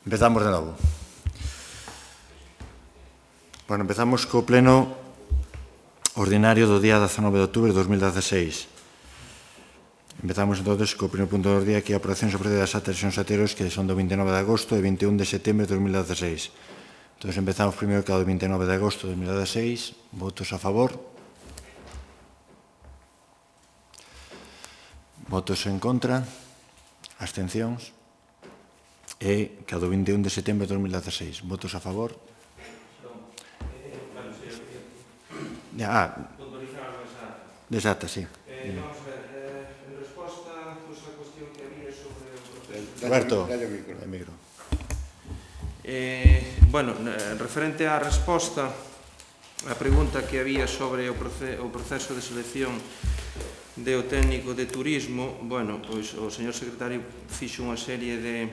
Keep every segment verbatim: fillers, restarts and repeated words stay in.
Empezamos de novo. Bueno, empezamos co pleno ordinario do día dezanove de outubro de dos mil dezaseis. Empezamos entonces co primeiro punto do día, que é a aprobación sobre das actas e anteriores, que son do vinte e nove de agosto e vinte e un de setembro de dos mil dezaseis. Entón, empezamos primeiro que do vinte e nove de agosto de dos mil dezaseis. Votos a favor. Votos en contra. Abstencións. E que do vinte e un de setembro de dos mil dezaseis. Votos a favor. Ah, desata, sí. Vamos a ver, en resposta a cuestión que había sobre o proceso... Roberto, el micro. Bueno, referente á resposta a pregunta que había sobre o proceso de selección do técnico de turismo, bueno, pois o señor secretario fixo unha serie de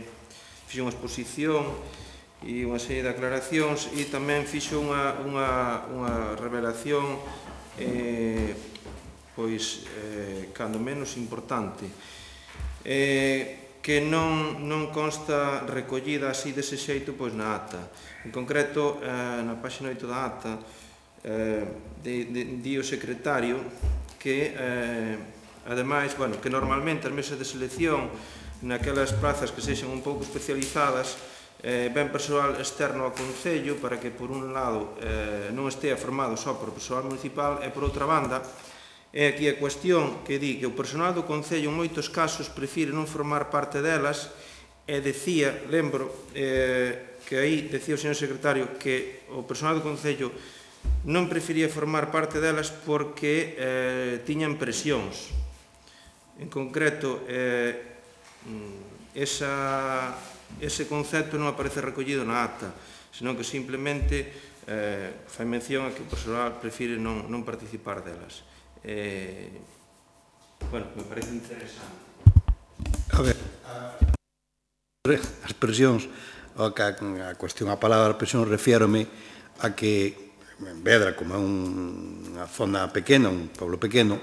fixo unha exposición e unha serie de aclaracións e tamén fixo unha, unha, unha revelación eh, pois, eh, cando menos importante, eh, que non, non consta recollida así dese xeito pois na ata. En concreto, eh, na páxina oito da ata, eh, de, de, di o secretario que, eh, ademais, bueno, que normalmente as mesas de selección naquelas plazas que sexan un pouco especializadas eh, ven persoal externo ao Concello para que, por un lado, eh, non estea formado só por persoal municipal e, por outra banda, é aquí a cuestión que di que o personal do Concello en moitos casos prefire non formar parte delas e decía, lembro, eh, que aí decía o señor secretario que o personal do Concello non prefería formar parte delas porque eh, tiñan presións. En concreto, eh, esa, ese concepto non aparece recollido na acta, senón que simplemente eh, fai mención a que o personal prefire non, non participar delas. Eh, bueno, me parece interesante. A ver, as presións, a, a cuestión, a palabra presión, refiérome a que en Vedra, como é unha zona pequena, un pueblo pequeno,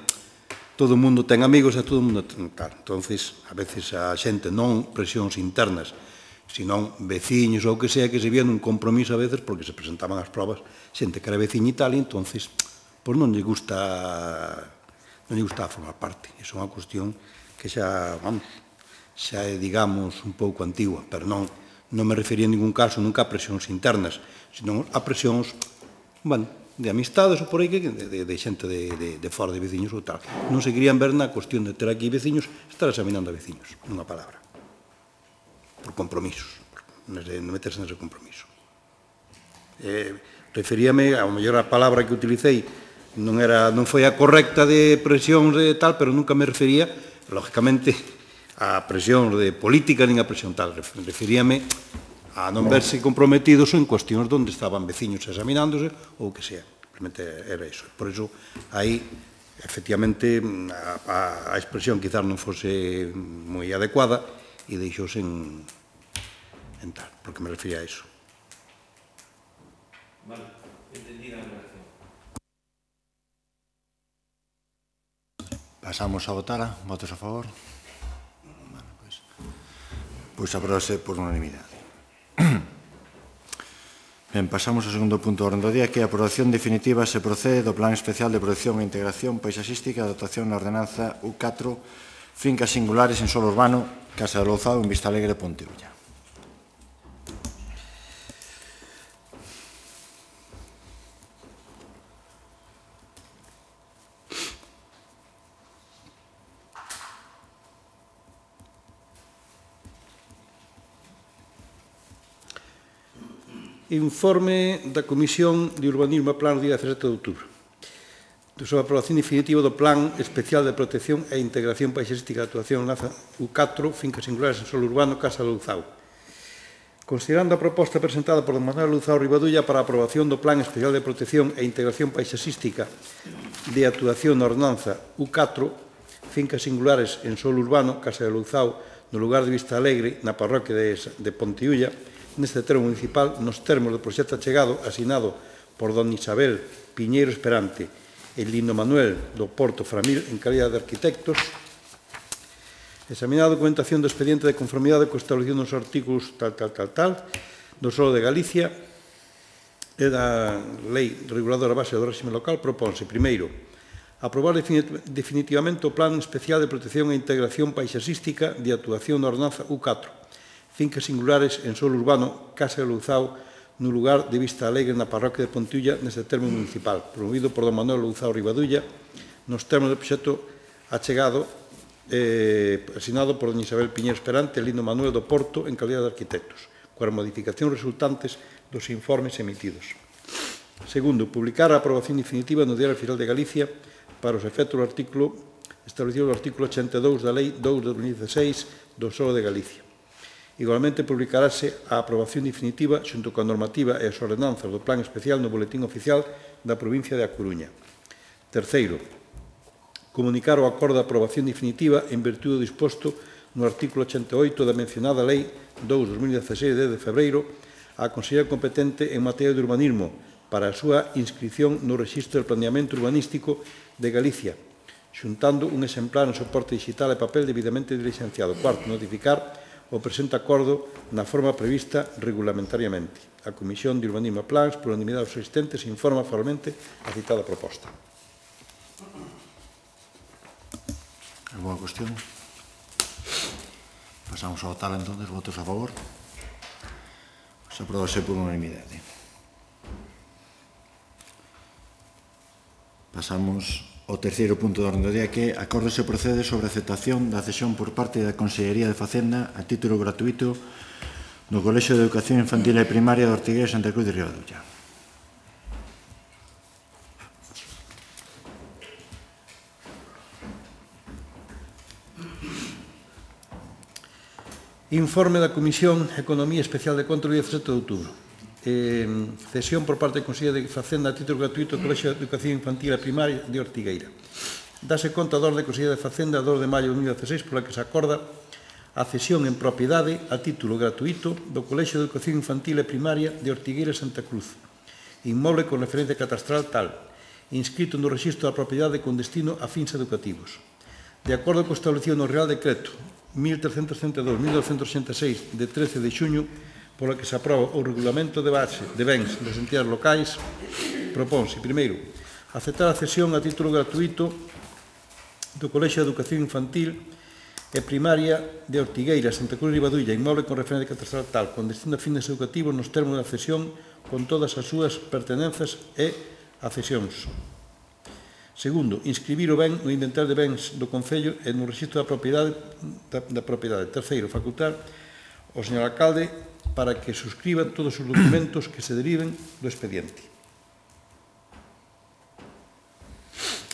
todo o mundo ten amigos e todo o mundo ten tal. Entonces, a veces a xente non presións internas, senón veciños ou que sea, que se vían un compromiso a veces porque se presentaban as probas xente que era veciña e tal, e entonces pois non lle gusta non lle gusta formar parte. Iso é unha cuestión que xa, vamos, xa é, digamos, un pouco antigua, pero non, non me refería en ningún caso nunca a presións internas, senón a presións, bueno, de amistades ou por aí, de, de, de xente de, de, de fora de veciños ou tal. Non se querían ver na cuestión de ter aquí veciños, estar examinando a veciños, nunha palabra. Por compromisos, non meterse nese compromiso. Eh, referíame, ao mellor a palabra que utilicei non, era, non foi a correcta de presión de tal, pero nunca me refería, lógicamente, a presión de política nin a presión tal. Referíame a non verse comprometidos en cuestións onde estaban veciños examinándose ou que sea. Simplemente era iso. Por iso, aí, efectivamente, a, a, a expresión quizás non fose moi adecuada e deixouse en, en tal, porque me refería a iso. Vale, entendida a relación. Pasamos a votar. Votos a favor. Bueno, pois, pois aprobase por unanimidade. Ben, pasamos ao segundo punto do orden do día, que é a aprobación definitiva se procede do Plan Especial de Protección e Integración Paisaxística de Dotación na Ordenanza U catro, fincas singulares en solo urbano, Casa de Louzao, en Vistalegre, Ponteulla. Informe da Comisión de Urbanismo e Plan do día dezasete de outubro sobre a aprobación definitiva do Plan Especial de Protección e Integración Paisaxística de Actuación U catro, fincas singulares en solo urbano, Casa de Louzao. Considerando a proposta presentada por don Manuel Louzao Rivadulla para a aprobación do Plan Especial de Protección e Integración Paisaxística de Actuación na Ordenanza U catro, fincas singulares en solo urbano, Casa de Louzao, no lugar de Vista Alegre, na parroquia de, de Ponteulla, neste termo municipal, nos termos do proxecto achegado, asinado por don Isabel Piñeiro Esperante e Lino Manuel do Porto Framil en calidad de arquitectos, Examinar a documentación do expediente de conformidade coa establecido nos artículos tal, tal, tal, tal, do solo de Galicia e da Lei Reguladora Base do Réxime Local, propónse, primeiro, aprobar definitivamente o Plan Especial de Protección e Integración Paisasística de actuación da Ordenanza U catro, fincas singulares en solo urbano, Casa de Louzao, no lugar de Vista Alegre na parroquia de Pontulla, neste termo municipal, promovido por don Manuel Louzao Ribadulla, nos termos do proxecto achegado, eh, asinado por don Isabel Piñero Esperante e Lindo Manuel do Porto en calidad de arquitectos, coas modificacións resultantes dos informes emitidos. Segundo, publicar a aprobación definitiva no Diario Oficial de Galicia para os efectos do artículo establecido no artículo ochenta e dous da Lei dous de dos mil dieciséis do Solo de Galicia. Igualmente, publicarase a aprobación definitiva xunto coa normativa e as ordenanzas do Plan Especial no Boletín Oficial da provincia de A Coruña. Terceiro, comunicar o acordo de aprobación definitiva en virtude do disposto no artículo ochenta e oito da mencionada Lei dous de dos mil dieciséis de dez de febreiro á Consellería competente en materia de urbanismo para a súa inscripción no Rexistro de Planeamento Urbanístico de Galicia, xuntando un exemplar en soporte digital e papel debidamente diligenciado. Cuarto, notificar o presente acordo na forma prevista regulamentariamente. A Comisión de Urbanismo e Plans, por unanimidade dos asistentes, informa formalmente a citada proposta. Alguna cuestión? Pasamos ao tal, entonces, votos a favor. Se aprobase por unanimidade. Pasamos ao terceiro punto da orde do día, que acordo se procede sobre a aceptación da cesión por parte da Consellería de Facenda a título gratuito do Colexio de Educación Infantil e Primaria de Ortigueira e Santa Cruz de Ribadulla. Informe da Comisión Economía Especial de Control de dezasete de outubro. Eh, cesión por parte da Consellería de Facenda a título gratuito do Colexio de Educación Infantil e Primaria de Ortigueira. Dase conta da orde da Consellería de Facenda dos de maio de dos mil dieciséis pola que se acorda a cesión en propiedade a título gratuito do Colexio de Educación Infantil e Primaria de Ortigueira e Santa Cruz, inmoble con referencia catastral tal, inscrito no Rexistro da Propiedade con destino a fins educativos. De acordo co establecido no Real Decreto mil trescentos setenta e dous barra mil novecentos sesenta e seis de trece de xuño, pola que se aproba o Regulamento de Base de Bens das entidades locais, propónse, primeiro, aceptar a cesión a título gratuito do Colexio de Educación Infantil e Primaria de Ortigueira, Santa Cruz de Ribadulla, inmoble con referencia catastral tal, con destino a fines educativos nos termos da cesión con todas as súas pertenenzas e accesións. Segundo, inscribir o ben no inventario de bens do Concello e no rexistro da propiedade. Da, da propiedade. Terceiro, facultar ao señor alcalde para que suscriban todos os documentos que se deriven do expediente.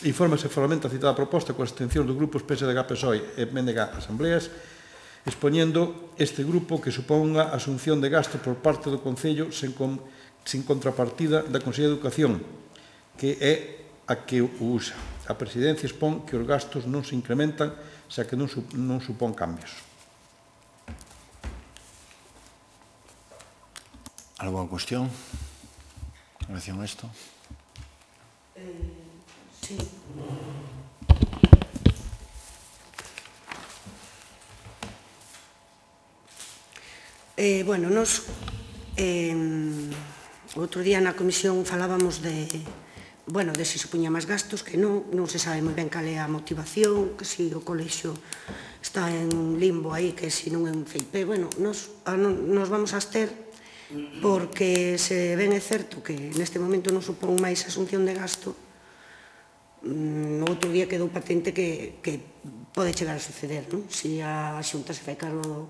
Infórmase formalmente a citada proposta coa abstención dos grupos P S D G, P S O E e M N G Asambleas, expoñendo este grupo que suponga a asunción de gasto por parte do Concello sen, con, sin contrapartida da Consellería de Educación, que é a que o usa. A Presidencia expón que os gastos non se incrementan, xa que non, non supón cambios. Alguna cuestión en relación a isto? Eh, sí. Eh, bueno, nos eh, outro día na comisión falábamos de bueno, de se se puña máis gastos, que non, non se sabe moi ben cal é a motivación, que se o colexio está en limbo aí, que se non é un C I P, bueno, nos, a, nos vamos a abster porque se ben é certo que neste momento non supón máis asunción de gasto, no outro día quedou patente que, que pode chegar a suceder, non? Se a Xunta se fai cargo do,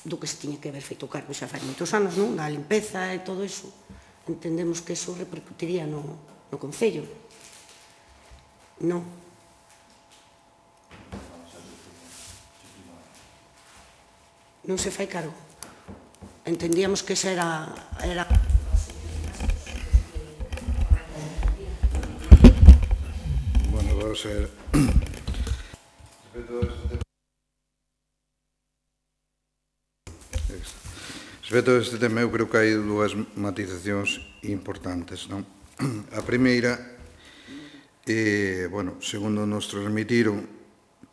do que se tiña que haber feito cargo xa fai moitos anos, non? Da limpeza e todo iso, entendemos que iso repercutiría no, no Concello. Non. Non se fai cargo. Entendíamos que esa era... era... Bueno, vou ser... Respecto a este tema, eu creo que hai dúas matizacións importantes, non? A primeira, eh, bueno, segundo nos transmitiron,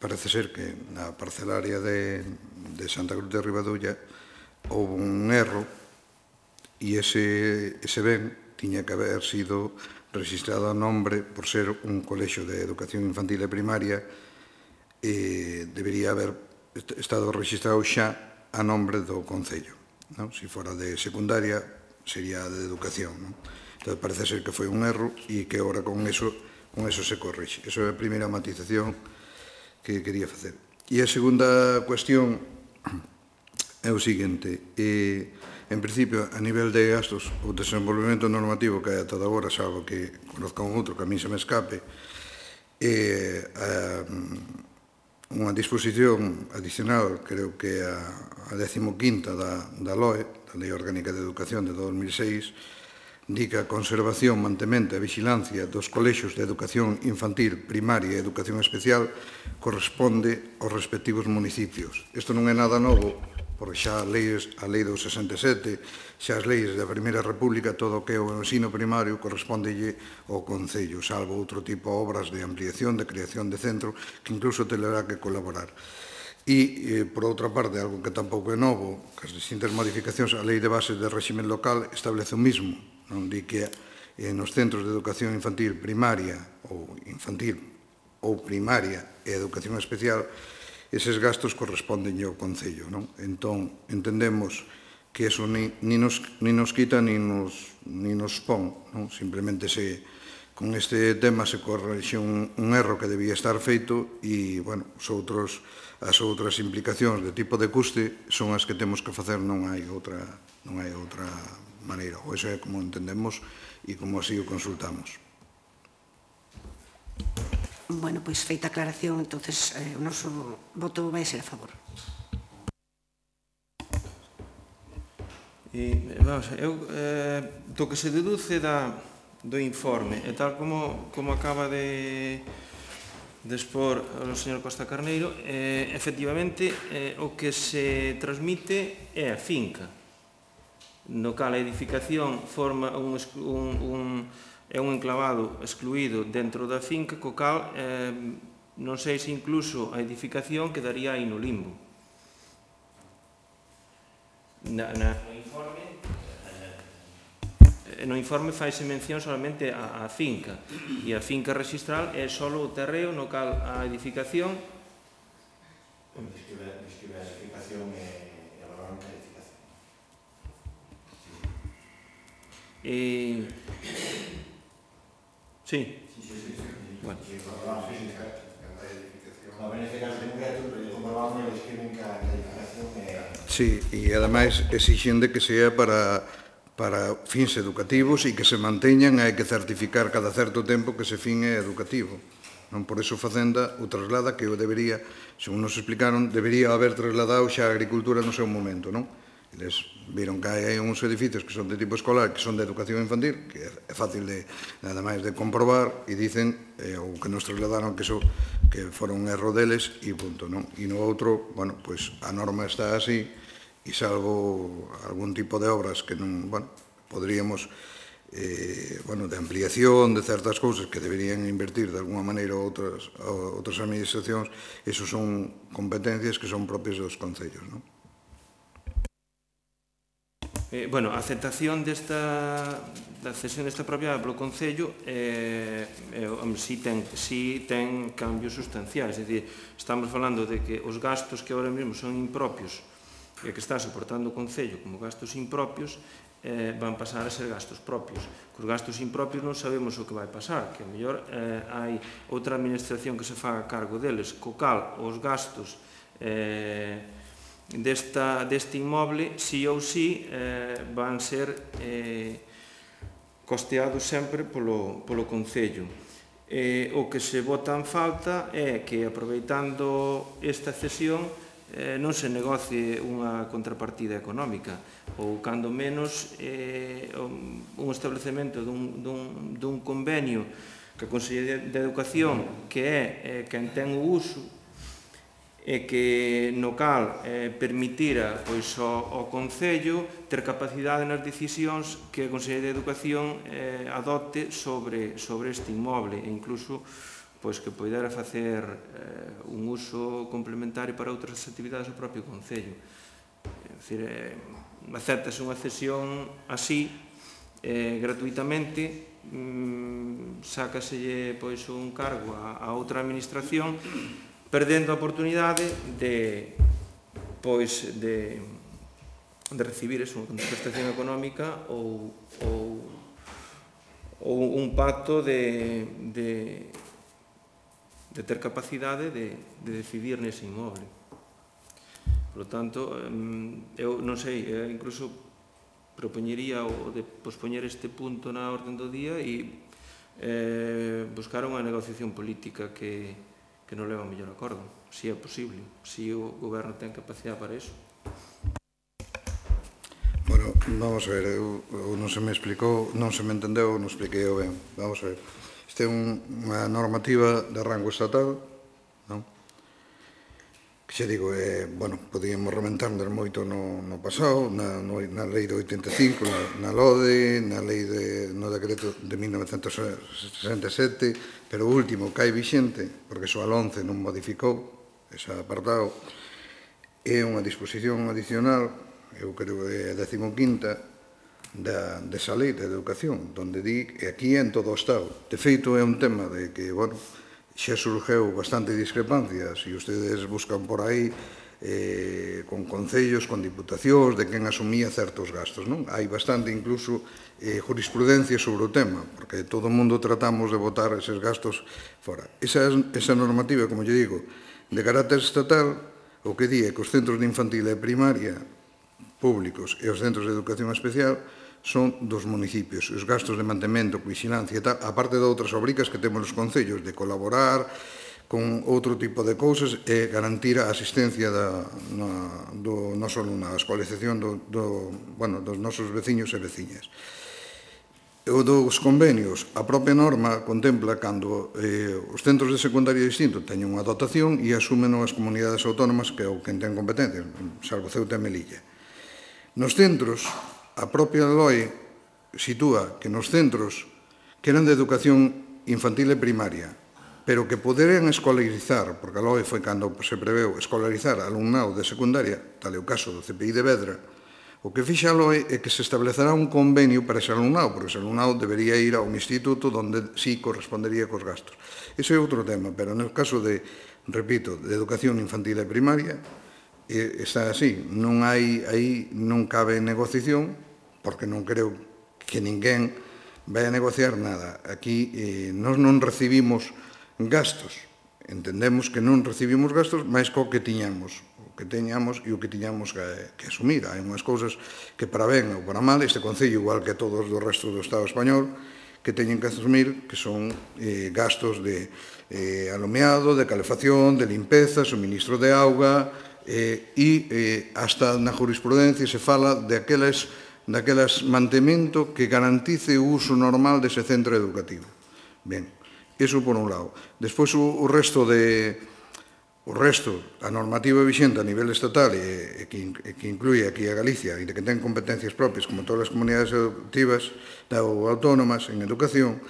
parece ser que na parcelaria de, de Santa Cruz de Ribadulla houve un erro e ese, ese ben tiña que haber sido registrado a nombre por ser un colexo de educación infantil e primaria e debería haber estado registrado xa a nombre do Concello. Non? Se fora de secundaria sería de educación. Non? Entón parece ser que foi un erro e que agora con eso, con eso se corrixe. Esa é a primeira matización que quería facer. E a segunda cuestión é o seguinte, eh, en principio, a nivel de gastos, o desenvolvemento normativo que hai ata agora, salvo que conozca un outro que a mí se me escape, é unha disposición adicional, creo que a, a decimoquinta da, da L O E, da Lei Orgánica de Educación de dos mil seis, indica a conservación, mantemento e vigilancia dos colexios de educación infantil, primaria e educación especial corresponde aos respectivos municipios. Isto non é nada novo, porque xa a lei, a lei do sesenta e sete, xa as leis da Primeira República, todo o que é o ensino primario correspondelle ao Concello, salvo outro tipo de obras de ampliación, de creación de centro, que incluso terá que colaborar. E, eh, por outra parte, algo que tampouco é novo, que as distintas modificacións á lei de bases de régimen local establece o mismo, non di que eh, nos centros de educación infantil primaria ou infantil ou primaria e educación especial eses gastos corresponden ao Concello. Non? Entón, entendemos que eso ni, ni, nos, ni nos quita ni nos, ni nos pon. Non? Simplemente se, con este tema se correxe un, un erro que debía estar feito e, bueno, os outros, as outras implicacións de tipo de custe son as que temos que facer, non hai outra, non hai outra maneira. Ou eso é como entendemos e como así o consultamos. Bueno, pois feita a aclaración, entonces eh, o noso voto vai ser a favor. E, vamos, eu, eh, do que se deduce da, do informe, e tal como, como acaba de, de expor o señor Costa Carneiro, eh, efectivamente, eh, o que se transmite é a finca, no cal a edificación forma un, un, un é un enclavado excluído dentro da finca, co cal eh, non sei se incluso a edificación quedaría aí no limbo. Na, na, no informe eh, no informe faise mención solamente a, a finca, e a finca registral é só o terreo no cal a edificación describe a edificación e a valorante a edificación. e sí, Sí, sí, sí. bueno. No, neste caso ten un gato, pero comprobamos e describen que a edificación é... Sí, e ademais exixen de que sea para, para fins educativos e que se manteñan, hai que certificar cada certo tempo que ese fin é educativo. Non por eso Facenda o traslada que o debería, según nos explicaron, debería haber trasladado xa a agricultura no seu momento, non? Eles viron que hai uns edificios que son de tipo escolar, que son de educación infantil, que é fácil de, nada máis de comprobar, e dicen, eh, ou que nos trasladaron que eso que fora un erro deles, e punto, non? E no outro, bueno, pois a norma está así, e salvo algún tipo de obras que non, bueno, podríamos, eh, bueno, de ampliación de certas cousas que deberían invertir de alguna maneira outras, outras administracións, esos son competencias que son propias dos concellos, non? Eh, bueno, a aceptación desta da cesión desta propiedade polo Concello eh, eh, si, ten, si ten cambios sustanciais, é dicir, estamos falando de que os gastos que agora mesmo son impropios e que está soportando o Concello como gastos impropios eh, van pasar a ser gastos propios. Cos gastos impropios non sabemos o que vai pasar, que a mellor eh, hai outra administración que se faga cargo deles, co cal os gastos eh, Desta, deste inmoble, sí ou sí, eh, van ser eh, costeados sempre polo, polo Concello. Eh, o que se bota en falta é que, aproveitando esta cesión, eh, non se negocie unha contrapartida económica, ou, cando menos, eh, un establecemento dun, dun, dun convenio que a Consellería de Educación, que é eh, quen ten o uso, e que no cal eh, permitira pois, ao, ao Concello ter capacidade nas decisións que a Consellería de Educación eh, adopte sobre, sobre este inmoble e incluso pois que poidera facer eh, un uso complementario para outras actividades do propio Concello. É dicir, eh, aceptase unha cesión así, eh, gratuitamente, mm, sácaselle pois, un cargo a, a outra administración, perdendo a oportunidade de, pois, de, de recibir eso, unha contestación económica ou, ou, ou un pacto de, de, de ter capacidade de, de decidir nese inmoble. Por lo tanto, eu non sei, incluso propoñería o de pospoñer este punto na orden do día e eh, buscar unha negociación política que, que non leva a mellor acordo, se é posible, se o goberno ten capacidade para iso. Bueno, vamos a ver, eu, eu non se me explicou, non se me entendeu, non expliquei eu ben. Vamos a ver, isto é un, unha normativa de rango estatal, non? Que xa digo, eh, bueno, podíamos rementarnos moito no, no pasado, na, no, na lei de oitenta e cinco, na, na LODE, na lei de, no decreto de mil novecentos sesenta e sete, pero o último que hai vixente, porque só a once non modificou ese apartado, é unha disposición adicional, eu creo que é a decimoquinta, da, desa lei de educación, donde di que aquí en todo o Estado. De feito, é un tema de que, bueno, xa surgeu bastante discrepancia, se ustedes buscan por aí eh, con concellos, con diputacións, de quen asumía certos gastos, non? Hai bastante, incluso, eh, jurisprudencia sobre o tema, porque todo o mundo tratamos de botar eses gastos fora. Esa, esa normativa, como lle digo, de carácter estatal, o que di é que os centros de infantil e primaria públicos e os centros de educación especial son dos municipios. Os gastos de mantemento, vigilancia e tal, aparte de outras obricas que temos os concellos, de colaborar con outro tipo de cousas e garantir a asistencia da, na, do noso alumnado, a escolarización do, do, bueno, dos nosos veciños e veciñas. O dos convenios, a propia norma contempla cando eh, os centros de secundaria distinto teñen unha dotación e asumen as comunidades autónomas que é o que ten competencia, salvo Ceuta e Melilla. Nos centros, a propia L O E sitúa que nos centros que eran de educación infantil e primaria, pero que poderían escolarizar, porque a L O E foi cando se preveu escolarizar alumnado de secundaria, tal é o caso do C P I de Vedra, o que fixa a L O E é que se establecerá un convenio para ese alumnado, porque ese alumnado debería ir a un instituto onde sí correspondería cos gastos. Ese é outro tema, pero no caso de, repito, de educación infantil e primaria, está así, non hai, aí non cabe negociación, porque non creo que ninguén vai a negociar nada. Aquí eh, nós non recibimos gastos, entendemos que non recibimos gastos máis co que tiñamos, o que teñamos e o que tiñamos que, que asumir. Hai unhas cousas que para ben ou para mal, este Concello, igual que todos do resto do Estado español, que teñen que asumir que son eh, gastos de eh, alumeado, de calefacción, de limpeza, suministro de auga, eh, e eh, hasta na jurisprudencia se fala de aquelas, daquelas mantemento que garantice o uso normal dese centro educativo. Ben, iso por un lado. Despois o, o resto de o resto, a normativa vixente a nivel estatal e, e, que, e que inclui aquí a Galicia e que ten competencias propias como todas as comunidades educativas ou autónomas en educación,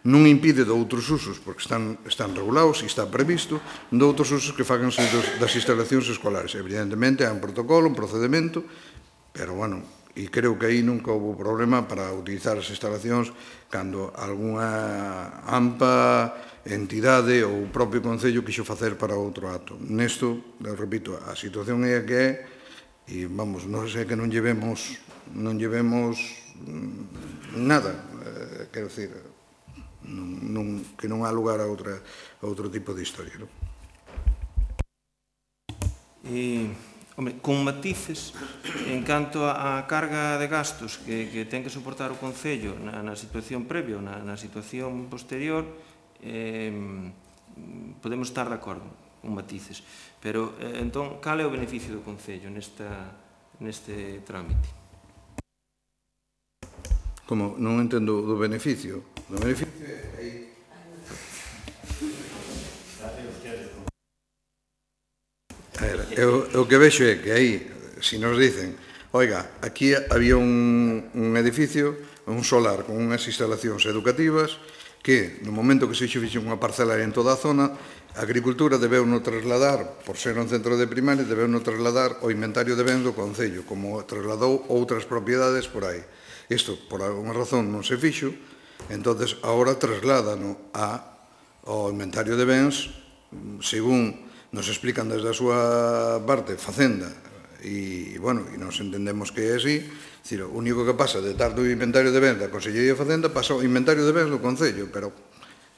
non impide de outros usos, porque están, están regulados e está previsto, de outros usos que faganse dos, das instalacións escolares. Evidentemente, hai un protocolo, un procedimento, pero, bueno, e creo que aí nunca houve problema para utilizar as instalacións cando algunha AMPA, entidade ou o propio Concello quixo facer para outro acto. Nesto, repito, a situación é a que é, e, vamos, non sei que non llevemos, non llevemos nada, eh, quero dicir, Non, non, que non há lugar a, outra, a outro tipo de historia. Non? E, hombre, con matices, en canto a carga de gastos que, que ten que soportar o Concello na, na situación previa ou na, na situación posterior, eh, podemos estar de acordo con matices. Pero, eh, entón, cal é o beneficio do Concello nesta, neste trámite? Como? Non entendo do beneficio. Do beneficio é aí. Eu, o que vexo é que aí, se nos dicen, oiga, aquí había un, un edificio, un solar con unhas instalacións educativas que no momento que se fixe unha parcelaria en toda a zona, a agricultura debeu no trasladar, por ser un centro de primaria, debeu no trasladar o inventario de bens do Concello, como trasladou outras propiedades por aí. Isto, por alguna razón, non se fixo, entonces agora trasládano ao inventario de bens, según nos explican desde a súa parte, Facenda, e, bueno, e nos entendemos que é así, dicir, o único que pasa de estar do inventario de bens da Consellería de Facenda pasa ao inventario de bens do Concello, pero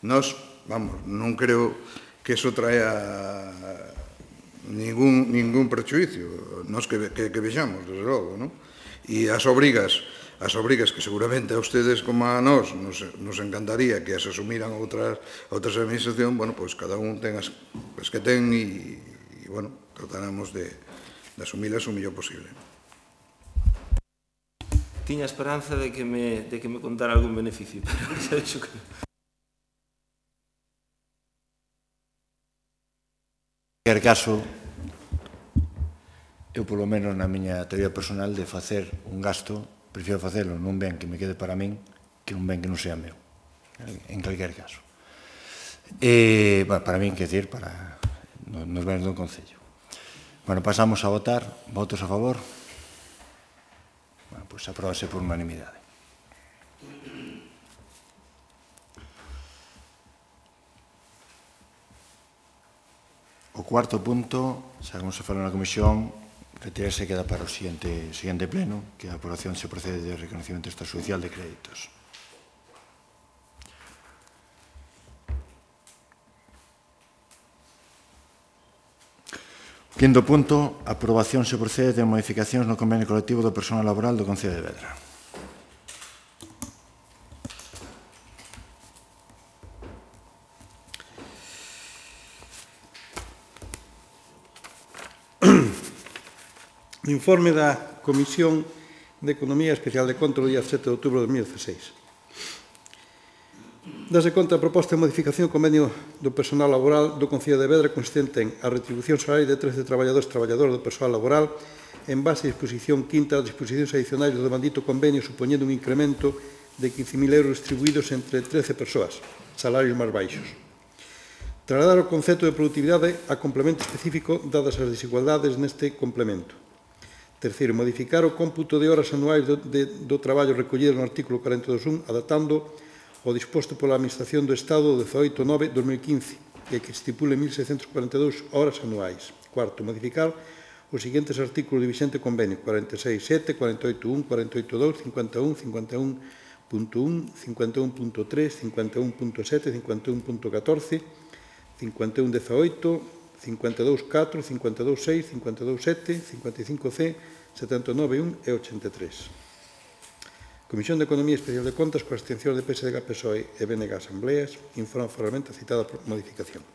nós, vamos, non creo que eso traia ningún, ningún prejuicio, nós que, que, que vexamos, desde logo, non? E as obrigas, as obrigas que seguramente a ustedes como a nós nos, nos encantaría que as asumiran outras, outras administración, bueno, pois cada un ten as, as que ten e, e bueno, trataremos de, de asumilas o mellor posible. Tiña esperanza de que me, de que me contara algún beneficio, pero xa dixo que non. En cualquier caso, eu polo menos na miña teoría personal de facer un gasto, prefiro facelo nun ben que me quede para min que un ben que non sea meu, en cualquier caso. E, bueno, para min, quer dizer, para nos bens do Concello. Bueno, pasamos a votar. Votos a favor? Bueno, pois apróbase por unanimidade. O cuarto punto, xa como se falou na comisión, retirarse queda para o seguinte, seguinte pleno, que a aprobación se procede de reconocimiento extrajudicial de créditos. Quinto punto, aprobación se procede de modificacións no convenio colectivo do personal laboral do Concello de Vedra. No informe da Comisión de Economía Especial de Conta do día sete de outubro de dos mil dieciséis. Dase conta a proposta de modificación do convenio do personal laboral do Concello de Vedra consistente en a retribución salarial de trece traballadores e traballadoras do personal laboral en base a disposición quinta das disposicións adicionais do demandito convenio supoñendo un incremento de quince mil euros distribuídos entre trece persoas, salarios máis baixos. Trasladar o concepto de productividade a complemento específico dadas as desigualdades neste complemento. Terceiro, modificar o cómputo de horas anuais do, de, do traballo recollido no artículo cuarenta e dos punto un, adaptando o disposto pola Administración do Estado do dezaoito de nove de dos mil quince, e que estipule mil seiscentos cuarenta e dous horas anuais. Cuarto, modificar os seguintes artículos do vigente convenio cuarenta e seis punto sete, cuarenta e oito punto un, cuarenta e oito punto dos, cincuenta e un, cincuenta e un punto un, cincuenta e un punto tres, cincuenta e un punto sete, cincuenta e un punto catorce, cincuenta e un punto dezaoito, cincuenta e dous punto catro, cincuenta e dous punto seis, cincuenta e dous punto sete, cincuenta e cinco C, setenta e nove punto un e ochenta e tres. Comisión de Economía Especial de Contas, coa abstención de P S D G, P S O E e B N G Asambleas, informa formalmente a citada modificación.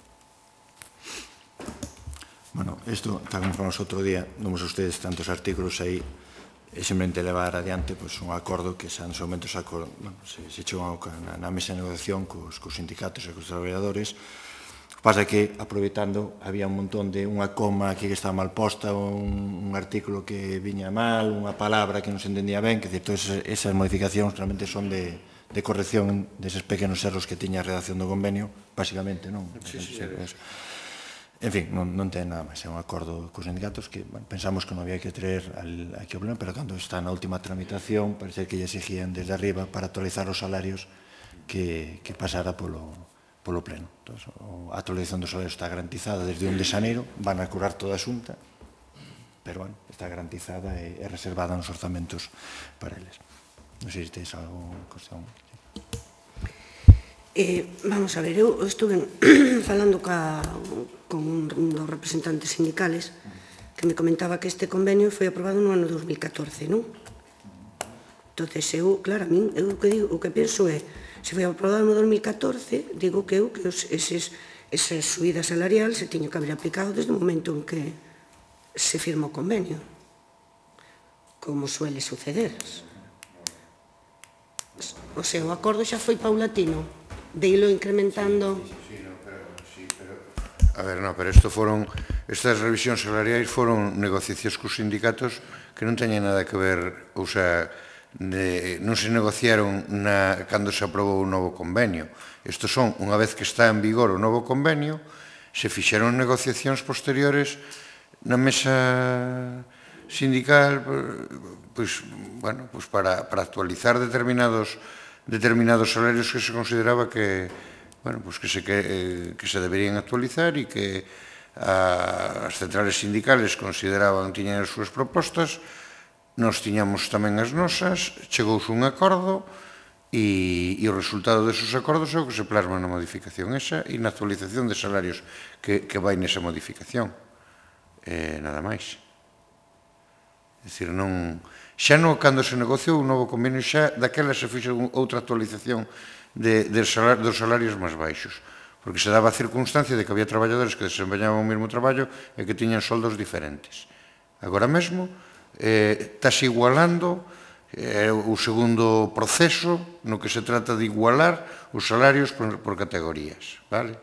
Bueno, isto, tal como falamos outro día, nomos ustedes tantos artículos aí, e simplemente levar adiante pues, un acordo que xa nos momentos acordo, bueno, se, se chegou na, na mesa de negociación cos, cos sindicatos e cos traballadores. O que pasa é que, aproveitando, había un montón de unha coma aquí que estaba mal posta, un, un artículo que viña mal, unha palabra que non se entendía ben, que todas esas modificacións realmente son de, de corrección deses pequenos erros que tiña a redacción do convenio, basicamente, non? Sí, sí, sí. En fin, non, non ten nada máis, é un acordo cos sindicatos que bueno, pensamos que non había que traer al, aquí o pleno, pero cando está na última tramitación, parece que lle exigían desde arriba para actualizar os salarios que, que pasara polo, polo pleno. Entón, a actualización dos salarios está garantizada desde un de xaneiro, van a curar toda a xunta, pero bueno, está garantizada e, e reservada nos orzamentos para eles. Non sei se tedes algo cuestión. Eh, vamos a ver, eu estuve falando ca, con un dos representantes sindicales que me comentaba que este convenio foi aprobado no ano dos mil catorce, non? Entón, eu, claro, a min, eu o que, digo, o que penso é, se foi aprobado no dos mil catorce, digo que eu que os, eses, esa subida salarial se tiña que haber aplicado desde o momento en que se firma o convenio, como suele suceder. O sea, o acordo xa foi paulatino, de ilo incrementando. Sí, sí, no, pero, sí, pero... A ver, no, pero isto foron, estas revisións salariais foron negociacións cos sindicatos que non teñen nada que ver, ou sea, de, non se negociaron na, cando se aprobou o novo convenio. Estos son, unha vez que está en vigor o novo convenio, se fixeron negociacións posteriores na mesa sindical, pois, bueno, pois para, para actualizar determinados, determinados salarios que se consideraba que, bueno, pois que, se, que, que se deberían actualizar e que a, as centrales sindicales consideraban, tiñan as súas propostas, nós tiñamos tamén as nosas, chegouse un acordo e, e o resultado desos acordos é o que se plasma na modificación esa e na actualización de salarios que, que vai nesa modificación. Eh, nada máis. É dicir, non, xa non cando se negociou o novo convenio xa daquela se fixe outra actualización de, de salar, dos salarios máis baixos, porque se daba a circunstancia de que había traballadores que desempeñaban o mesmo traballo e que tiñan soldos diferentes. Agora mesmo, eh, estás igualando eh, o segundo proceso no que se trata de igualar os salarios por, por categorías, vale?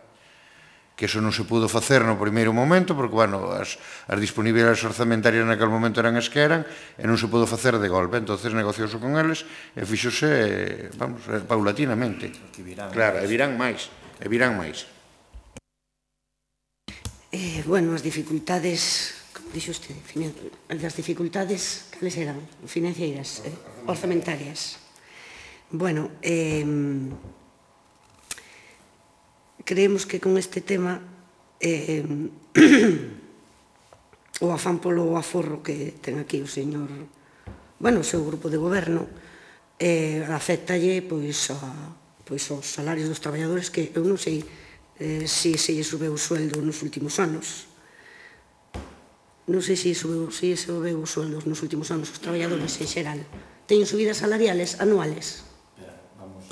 Que eso non se pudo facer no primeiro momento, porque, bueno, as, as disponibilidades orzamentarias naquele momento eran as que eran, e non se pudo facer de golpe, entonces negociouse con eles, e fixose, vamos, paulatinamente. Claro, e virán máis, e virán máis. Eh, bueno, as dificultades... Dixo usted, as dificultades, cales eran? Financeiras, eh, orzamentarias. Bueno, eh, creemos que con este tema eh, o afán polo aforro que ten aquí o señor, bueno, o seu grupo de goberno, eh, afectalle pois, a, pois aos salarios dos traballadores que eu non sei eh, se se lle subeu o sueldo nos últimos anos. Non sei se subeu, se subeu os sueldos nos últimos anos os traballadores en xeral. Teñen subidas salariales anuales? Vamos,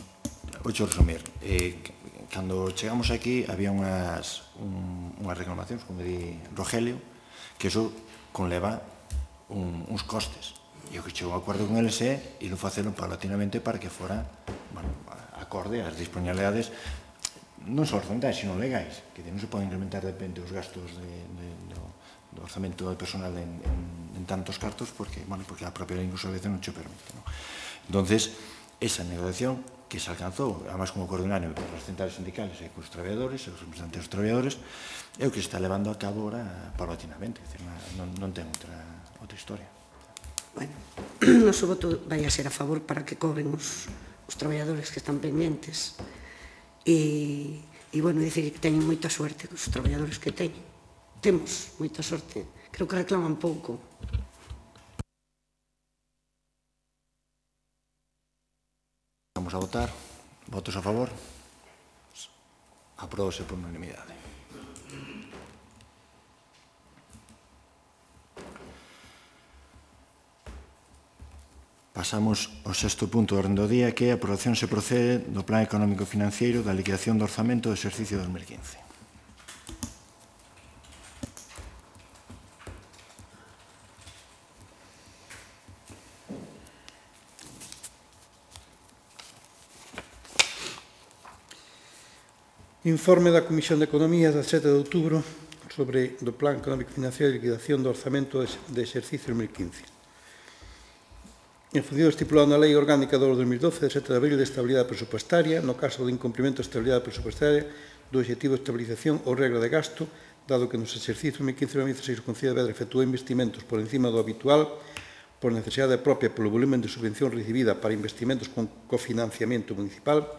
voucho resumir. Eh, cando chegamos aquí había unhas, un, unhas reclamacións, como di Rogelio, que iso conleva un, uns costes. E o que chegou a acordo con eles é ilo facelo paulatinamente para que fora, bueno, acorde ás disponibilidades non só orzamentarias, sino legais, que non se poden incrementar de repente os gastos de, de, do, do orzamento do personal en, en, en tantos cartos porque, bueno, porque a propia industrialización non che permite, ¿no? Entonces, esa negociación que se alcanzou, además como coordináneo por as centrales sindicales e cos traballadores, e os representantes dos traballadores, é o que se está levando a cabo ahora paulatinamente, é dicir, non, non ten outra, outra historia. Bueno, o noso voto vai a ser a favor para que cobren os, os traballadores que están pendientes e, e bueno, dicir que teñen moita suerte os traballadores que teñen. Temos moita sorte. Creo que reclaman pouco. Vamos a votar. Votos a favor? Apróbase por unanimidade. Pasamos ao sexto punto do orden do día, que é a aprobación se procede do Plan Económico Financeiro da liquidación do orzamento do exercicio dos mil quince. Informe da Comisión de Economía da sete de outubro sobre o Plan Económico Financiero de Liquidación do Orzamento de Exercicio dos mil quince. En función estipulado na Lei Orgánica do dos mil doce de sete de abril de Estabilidade Presupuestaria, no caso de incumprimento de estabilidade presupuestaria do Obxectivo de Estabilización ou Regra de Gasto, dado que nos exercicios dos mil quince e dos mil dieciséis o Concello de Vedra efectuou investimentos por encima do habitual por necesidade propia polo volumen de subvención recibida para investimentos con cofinanciamento municipal,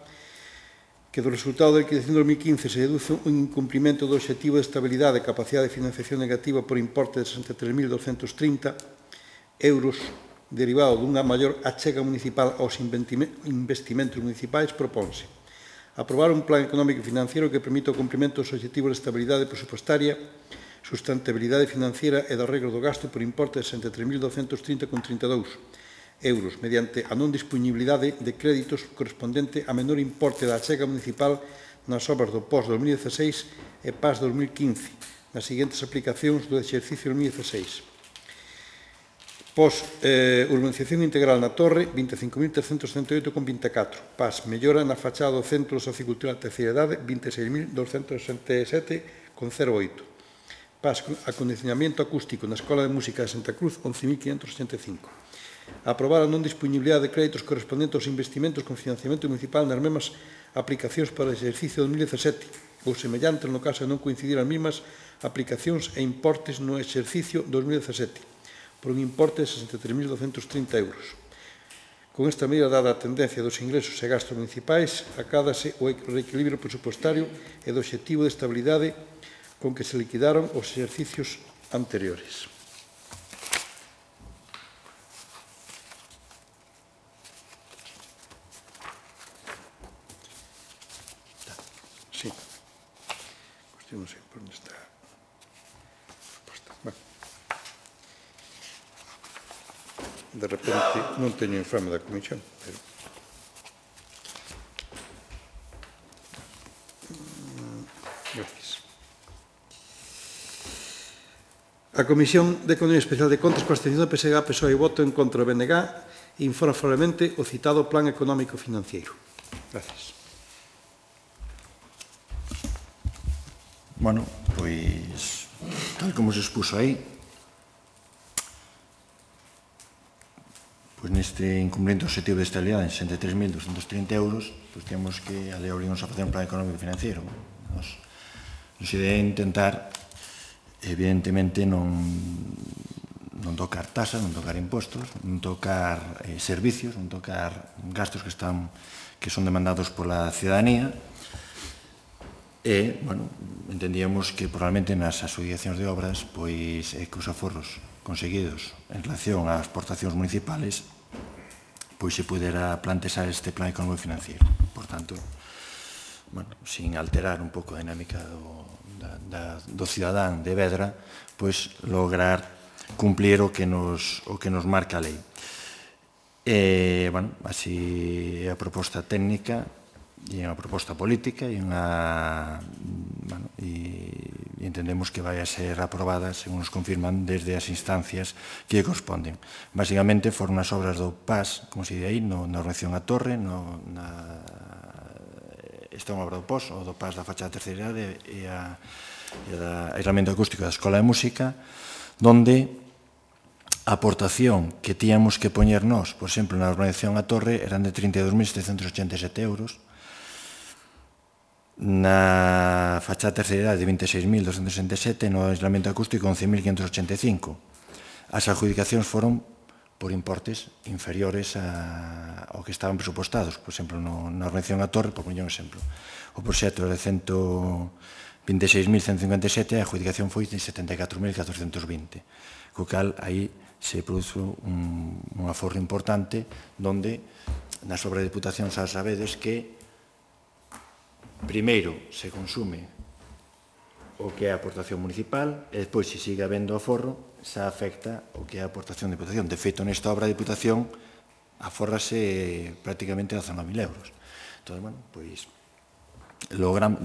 que do resultado da liquidación de dos mil quince se deduce un incumprimento do obxectivo de estabilidade e capacidade de financiación negativa por importe de sesenta e tres mil douscentos trinta euros derivado dunha maior achega municipal aos investimentos municipais, propónse aprobar un plan económico e financiero que permita o cumprimento dos obxectivos de estabilidade presupuestaria, sustentabilidade financiera e do arreglo do gasto por importe de sesenta e tres mil douscentos trinta vírgula trinta e dous euros, mediante a non disponibilidade de créditos correspondente a menor importe da achega municipal nas obras do P O S dos mil dieciséis e P A S dos mil quince, nas seguintes aplicacións do exercicio dos mil dieciséis. P O S, eh, urbanización integral na Torre, vinte e cinco mil trescentos setenta e oito vírgula vinte e catro. P A S, mellora na fachada do Centro de Sociocultura da Terceira Idade, vinte e seis mil douscentos sesenta e sete vírgula cero oito. P A S, acondicionamiento acústico na Escola de Música de Santa Cruz, once mil quinhentos ochenta e cinco. Aprobar a non disponibilidade de créditos correspondentes aos investimentos con financiamento municipal nas mesmas aplicacións para o exercicio dos mil dezasete ou semellantes no caso de non coincidir as mesmas aplicacións e importes no exercicio dos mil dezasete por un importe de sesenta e tres mil douscentos trinta euros. Con esta medida, dada a tendencia dos ingresos e gastos municipais, acádase o reequilibrio presupuestario e do obxectivo de estabilidade con que se liquidaron os exercicios anteriores. Sí. Cuestión non sei por onde está a proposta. Bueno. De repente non teño informe da comisión, pero... Gracias. A Comisión de Economía Especial de Contas, coa abstención do P S G, P S O E e voto en contra do B N G, informa favorablemente o citado Plan Económico Financiero. Gracias. Bueno, pois, tal como se expuso aí, pois neste incumplimiento objetivo de estabilidade en sesenta e tres mil doscentos trinta euros, pois temos que a lei obriga-nos a facer un plan económico financiero. Nos, nos idea intentar, evidentemente, non, non tocar tasas, non tocar impostos, non tocar eh, servicios, non tocar gastos que están que son demandados pola ciudadanía. E, bueno, entendíamos que probablemente nas asociacións de obras, pois, eh, que os aforros conseguidos en relación ás aportacións municipales, pois se pudera plantexar este plan económico financiero. Por tanto, bueno, sin alterar un pouco a dinámica do, da, da, do cidadán de Vedra, pois lograr cumplir o que nos, o que nos marca a lei. E, bueno, así é a proposta técnica, e é unha proposta política e, unha, bueno, e, e entendemos que vai a ser aprobada, según nos confirman, desde as instancias que corresponden. Basicamente, foron as obras do P A S, como se di aí, no, na organización a Torre, no, na, esta é unha obra do P O S, o do P A S da fachada terceira idade e a, e a aislamiento acústico da Escola de Música, donde a aportación que tíamos que poñer nós, por exemplo, na organización a Torre, eran de trinta e dos mil setecentos ochenta e sete euros, na fachada terceira idade de vinte e seis mil doscentos sesenta e sete, no aislamiento acústico once mil quinhentos ochenta e cinco. As adjudicacións foron por importes inferiores a, ao que estaban presupostados. Por exemplo, no, na organización a Torre, por poñer un exemplo, o proxecto era de ciento vinte e seis mil ciento cincuenta e sete e a adjudicación foi de setenta e catro mil catrocentos vinte. Co cal, aí se produce un, un aforro importante donde nas obras de diputación xa sabedes que primeiro se consume o que é a aportación municipal e despois, se sigue habendo aforro, xa afecta o que é a aportación de diputación. De feito, nesta obra de diputación afórrase prácticamente dezanove mil euros. Entón, bueno, pois, logran,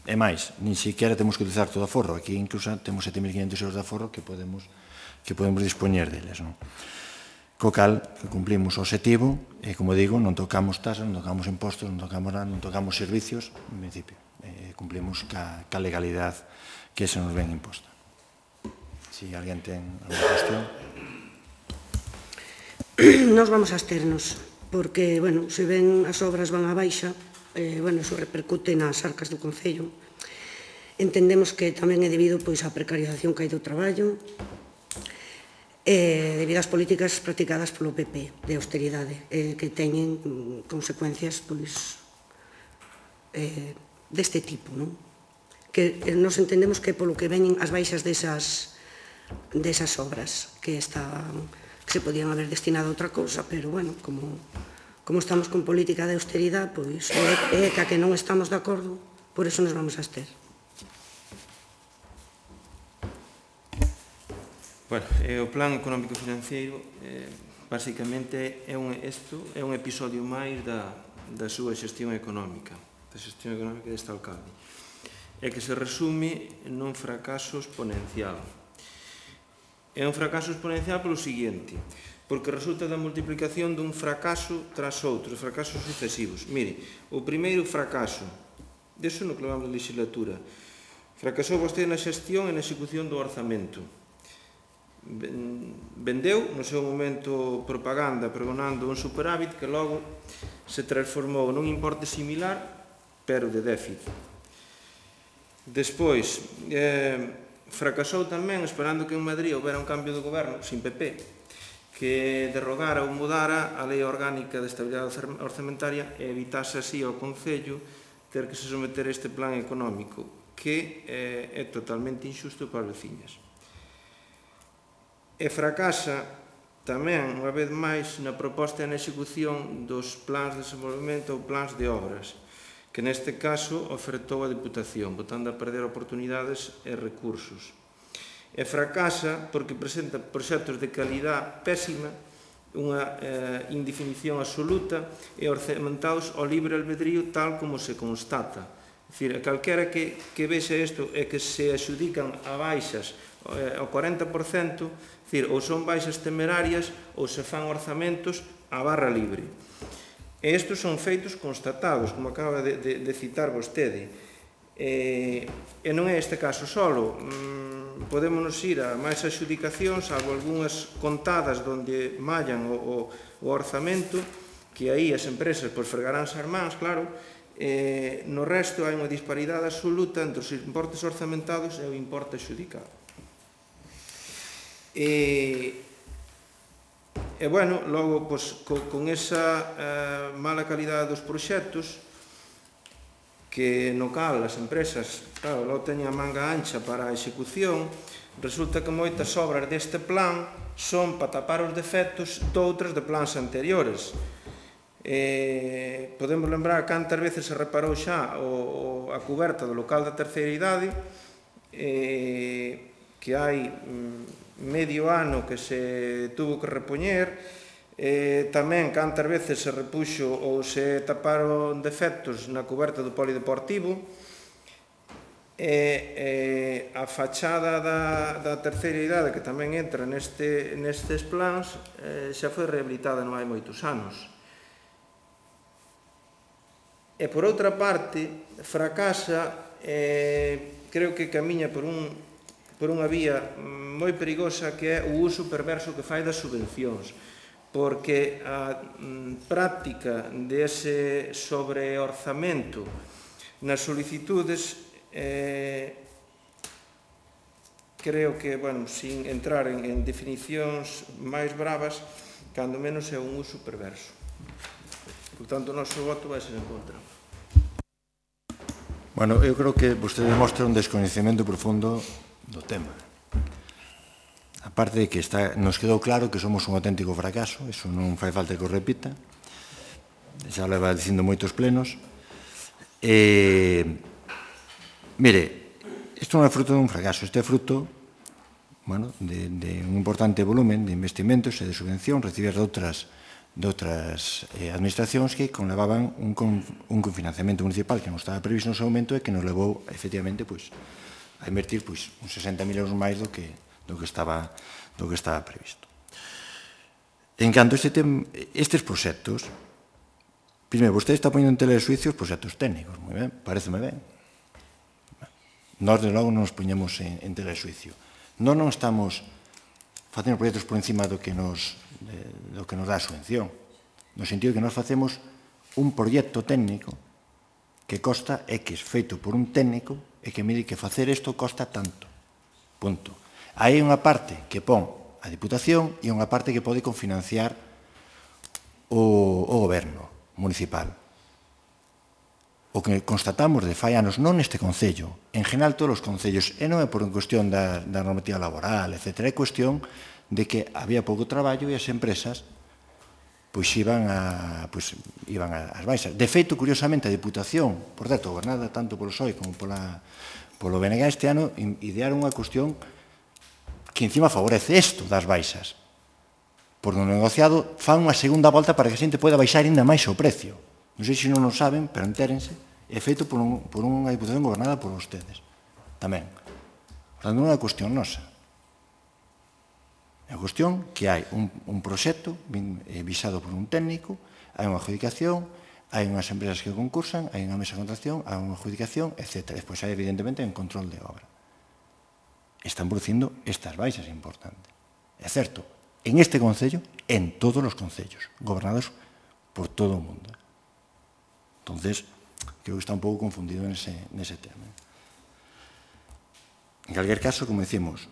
e máis, nin siquiera temos que utilizar todo o aforro. Aquí, incluso, temos sete mil quinhentos euros de aforro que podemos, que podemos dispoñer deles, non? Co cal, que cumplimos o objetivo, e, como digo, non tocamos tasas, non tocamos impostos, non tocamos nada, non tocamos servicios, en principio, eh, cumplimos ca, ca legalidade que se nos ven imposta. Si alguén ten alguna cuestión. Nos vamos a absternos, porque, bueno, se ven as obras van a baixa, eh, bueno, iso repercute nas arcas do Concello. Entendemos que tamén é debido pois, á precarización que hai do traballo, eh, debido ás políticas practicadas polo P P de austeridade, eh, que teñen mm, consecuencias pois, eh, deste tipo, non? Que eh, nos entendemos que polo que veñen as baixas desas, desas obras que, estaban, que se podían haber destinado a outra cousa, pero, bueno, como, como estamos con política de austeridade, pois é, é que a que non estamos de acordo, por eso nos vamos a abster. Bueno, eh, o plan económico financiero eh, basicamente é un, isto é un episodio máis da, da súa xestión económica, da xestión económica deste alcalde, e que se resume nun fracaso exponencial. É un fracaso exponencial polo seguinte, porque resulta da multiplicación dun fracaso tras outro, fracasos sucesivos. Mire, o primeiro fracaso, deso no que levamos de legislatura, fracasou vostede na xestión e na execución do orzamento. vendeu no seu momento propaganda pregonando un superávit que logo se transformou nun importe similar pero de déficit. Despois, eh, fracasou tamén esperando que en Madrid houbera un cambio de goberno sin P P que derrogara ou mudara a Lei Orgánica de Estabilidade Orzamentaria e evitase así ao Concello ter que se someter a este plan económico que eh, é totalmente injusto para as veciñas. E fracasa tamén, unha vez máis, na proposta e na execución dos plans de desenvolvemento ou plans de obras, que neste caso ofertou a Diputación, botando a perder oportunidades e recursos. E fracasa porque presenta proxectos de calidad pésima, unha eh, indefinición absoluta e orzamentados ao libre albedrío tal como se constata. É dicir, calquera que, que vexe isto é que se adxudican a baixas eh, ao corenta por cento, é dicir, ou son baixas temerarias ou se fan orzamentos a barra libre. E estes son feitos constatados, como acaba de, de, de citar vostede. E, e non é este caso solo. Mm, podémonos ir a máis adxudicacións, salvo algunhas contadas onde mallan o, o, o orzamento, que aí as empresas pois, fregaránse as mans, claro. E, no resto hai unha disparidade absoluta entre os importes orzamentados e o importe adxudicado. E... E, bueno, logo, pois, co, con esa eh, mala calidade dos proxectos, que no cal as empresas, claro, logo teñen a manga ancha para a execución, resulta que moitas obras deste plan son para tapar os defectos doutras de plans anteriores. Eh, podemos lembrar cantas veces se reparou xa o, o, a cuberta do local da terceira idade, eh, que hai... Mm, medio ano que se tuvo que repoñer, eh, tamén cantas veces se repuxo ou se taparon defectos na cuberta do polideportivo, e eh, a fachada da, da terceira idade que tamén entra neste, nestes plans eh, xa foi rehabilitada non hai moitos anos. E por outra parte, fracasa, eh, creo que camiña por un por unha vía moi perigosa que é o uso perverso que fai das subvencións, porque a práctica dese sobreorzamento nas solicitudes eh, creo que, bueno, sin entrar en, en definicións máis bravas, cando menos é un uso perverso. Por tanto, o noso voto vai ser en contra. Bueno, eu creo que vostede demostra un descoñecemento profundo do tema. A parte de que está, nos quedou claro que somos un auténtico fracaso, iso non fai falta que o repita, xa leva dicindo moitos plenos. E, mire, isto non é fruto dun fracaso, isto é fruto bueno, de, de un importante volumen de investimentos e de subvención recibidas de outras, de outras eh, administracións que conlevaban un, con, un confinanciamento municipal que non estaba previsto no seu momento e que nos levou, efectivamente, pois, a invertir pois, uns sesenta mil euros máis do que, do que, estaba, do que estaba previsto. En canto a este tem, estes proxectos, primeiro, vostede está poñendo en tela de suicio os proxectos técnicos, moi ben, pareceme ben. Nós, de logo, non nos poñemos en, en tela de suicio. Nós non estamos facendo proxectos por encima do que nos, de, do que nos dá a subvención, no sentido que nós facemos un proxecto técnico que costa X, feito por un técnico, e que mire que facer isto costa tanto. Punto. Hai unha parte que pon a Diputación e unha parte que pode confinanciar o, o goberno municipal. O que constatamos de fai anos, non neste Concello, en general todos os concellos, e non é por cuestión da, da normativa laboral, etcétera, é cuestión de que había pouco traballo e as empresas pois iban, a, pois, iban ás baixas. De feito, curiosamente, a Diputación, por certo, gobernada tanto polo P S O E como pola, polo B N G este ano, idearon unha cuestión que encima favorece isto das baixas. Por no negociado, fan unha segunda volta para que a xente poda baixar ainda máis o precio. Non sei se non o saben, pero entérense, é feito por, un, por unha Diputación gobernada por vostedes. Tamén. Por tanto, non é unha cuestión nosa. É a cuestión que hai un, un proxecto visado por un técnico, hai unha adjudicación, hai unhas empresas que concursan, hai unha mesa de contratación, hai unha adjudicación, etcétera. Despois hai, evidentemente, un control de obra. Están producindo estas baixas importantes. É certo, en este Concello, en todos os concellos, gobernados por todo o mundo. Entonces, creo que está un pouco confundido nese, nese tema. En calquer caso, como decimos,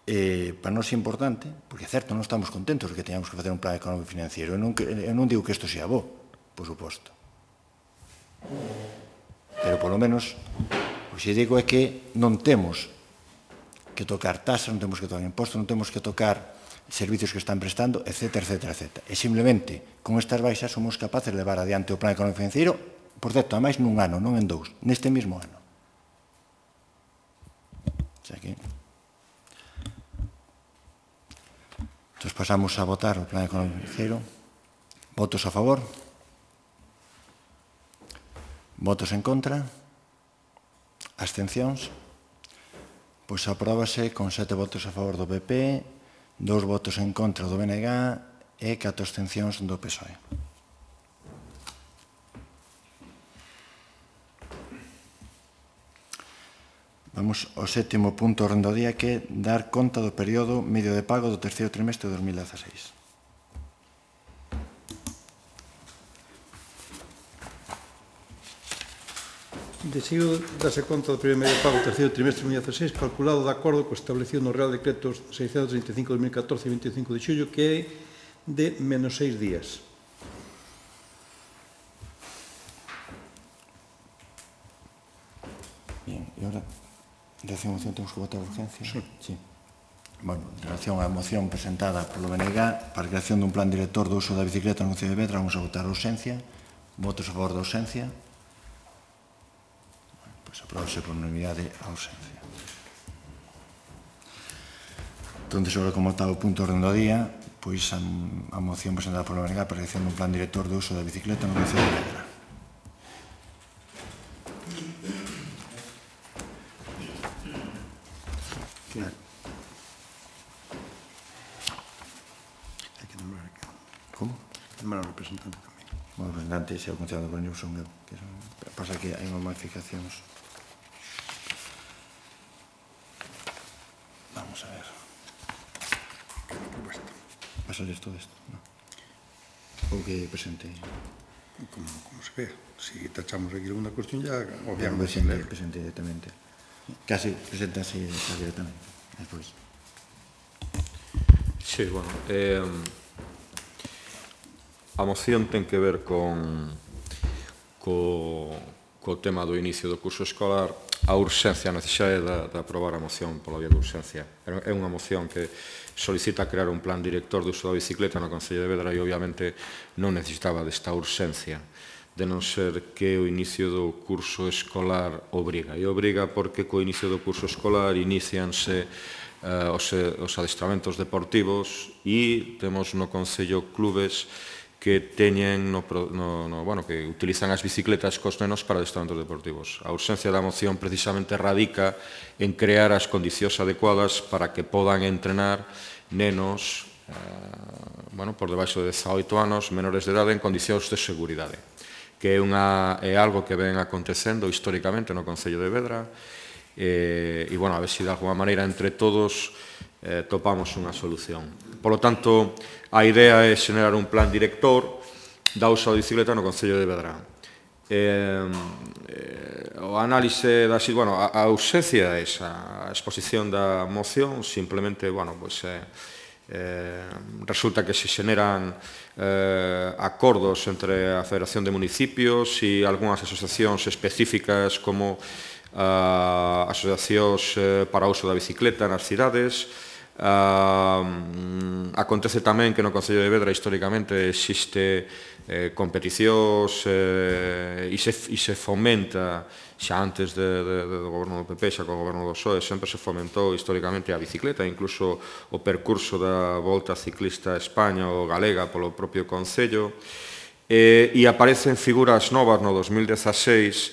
eh, para nós é importante, porque é certo, non estamos contentos de que teñamos que facer un plan económico e financiero. Eu non, eu non digo que isto sea bo, por suposto. Pero, polo menos, o que digo é que non temos que tocar tasas, non temos que tocar impostos, non temos que tocar servicios que están prestando, etcétera, etcétera, etcétera. E simplemente, con estas baixas, somos capaces de levar adiante o plan económico e financiero, por certo, ademais nun ano, non en dous, neste mesmo ano. O sea que... Entón, pasamos a votar o plan económico e financiero. Votos a favor? Votos en contra? Abstencións? Pois apróbase con sete votos a favor do P P, dous votos en contra do B N G e catro abstencións do P S O E. Vamos ao sétimo punto do orden do día, que é dar conta do período medio de pago do terceiro trimestre de dos mil dieciséis. Decido darse conta do primeiro medio de pago do terceiro trimestre de dos mil dieciséis, calculado de acordo co establecido no Real Decreto seiscentos trinta e cinco de dos mil catorce, veinticinco de xullo, que é de menos seis días. Bien, e agora, en relación a moción, temos que votar a urgencia? Sí. Sí. Bueno, en relación á moción presentada polo B N G para a creación dun plan director do uso da bicicleta no Concello de Vedra, vamos a votar a urgencia. Votos a favor da urgencia. Pois aprobase por unanimidade a urgencia. Entón, agora, como está o punto orden do día, pois a, a moción presentada polo B N G para a creación dun plan director do uso da bicicleta no Concello de Vedra. Claro. Hai que nombrar aquí. Como? Nombrar ao representante tamén. O representante se o concello do Coruña son eu. Que son, pasa que hai unhas modificacións. Vamos a ver. Vas a ler todo isto? No. Ou que presente? Como, como se ve. Si tachamos aquí alguna cuestión, ya Obviamente, presente, presente directamente. Casi presenta así directamente. Despois. Sí, bueno. Eh, a moción ten que ver con co, co tema do inicio do curso escolar, a urxencia, a necesidade de, de aprobar a moción pola vía de urxencia. É unha moción que solicita crear un plan director de uso da bicicleta no Concello de Vedra e obviamente non necesitaba desta urxencia, de non ser que o inicio do curso escolar obriga. E obriga porque co inicio do curso escolar inicianse eh, os, os adestramentos deportivos e temos no Concello clubes que teñen no, no, no, bueno, que utilizan as bicicletas cos nenos para adestramentos deportivos. A urxencia da moción precisamente radica en crear as condicións adecuadas para que podan entrenar nenos eh, bueno, por debaixo de dezaoito anos, menores de idade, en condicións de seguridade, que é, unha, é algo que ven acontecendo históricamente no Concello de Vedra, e, e bueno, a ver se de alguma maneira entre todos eh, topamos unha solución. Por lo tanto, a idea é xenerar un plan director da uso da bicicleta no Concello de Vedra. Eh, eh, o análise da... Bueno, a, a ausencia é esa, a exposición da moción, simplemente, bueno, pues, eh, eh, resulta que se xeneran eh, acordos entre a Federación de Municipios e algunhas asociacións específicas como uh, asociacións eh, para o uso da bicicleta nas cidades. Uh, acontece tamén que no Concello de Vedra históricamente existe eh, competicións eh, e, se, e se fomenta xa antes de, de, de, do goberno do P P, xa co goberno do P S O E, sempre se fomentou históricamente a bicicleta, incluso o percurso da Volta Ciclista a España ou galega polo propio Concello, eh, e aparecen figuras novas no dos mil dezaseis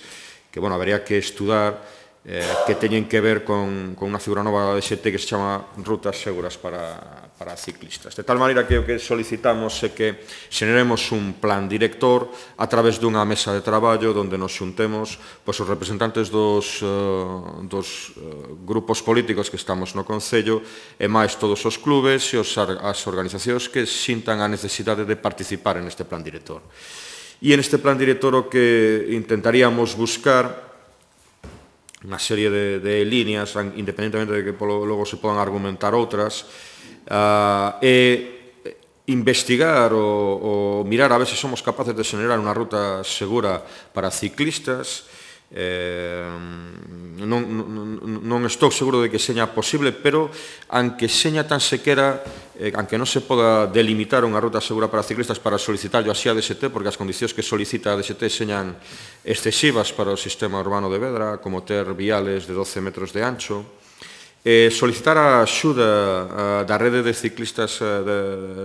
que, bueno, habería que estudar, eh, que teñen que ver con, con unha figura nova da D X T que se chama Rutas Seguras para, para ciclistas. De tal maneira que o que solicitamos é que xeneremos un plan director a través dunha mesa de traballo onde nos xuntemos pois, os representantes dos, uh, dos uh, grupos políticos que estamos no Concello e máis todos os clubes e os, as organizacións que sintan a necesidade de participar en este plan director. E en este plan director o que intentaríamos buscar unha serie de, de líneas, independentemente de que polo, logo se podan argumentar outras, uh, e investigar ou, ou mirar a ver se somos capaces de xenerar unha ruta segura para ciclistas. Eh, non, non, non estou seguro de que seña posible, pero aunque seña tan sequera, eh, aunque non se poda delimitar unha ruta segura para ciclistas para solicitarlo así a D X T, porque as condicións que solicita a D X T señan excesivas para o sistema urbano de Vedra, como ter viales de doce metros de ancho, eh, solicitar a axuda uh, da rede de ciclistas, uh, de,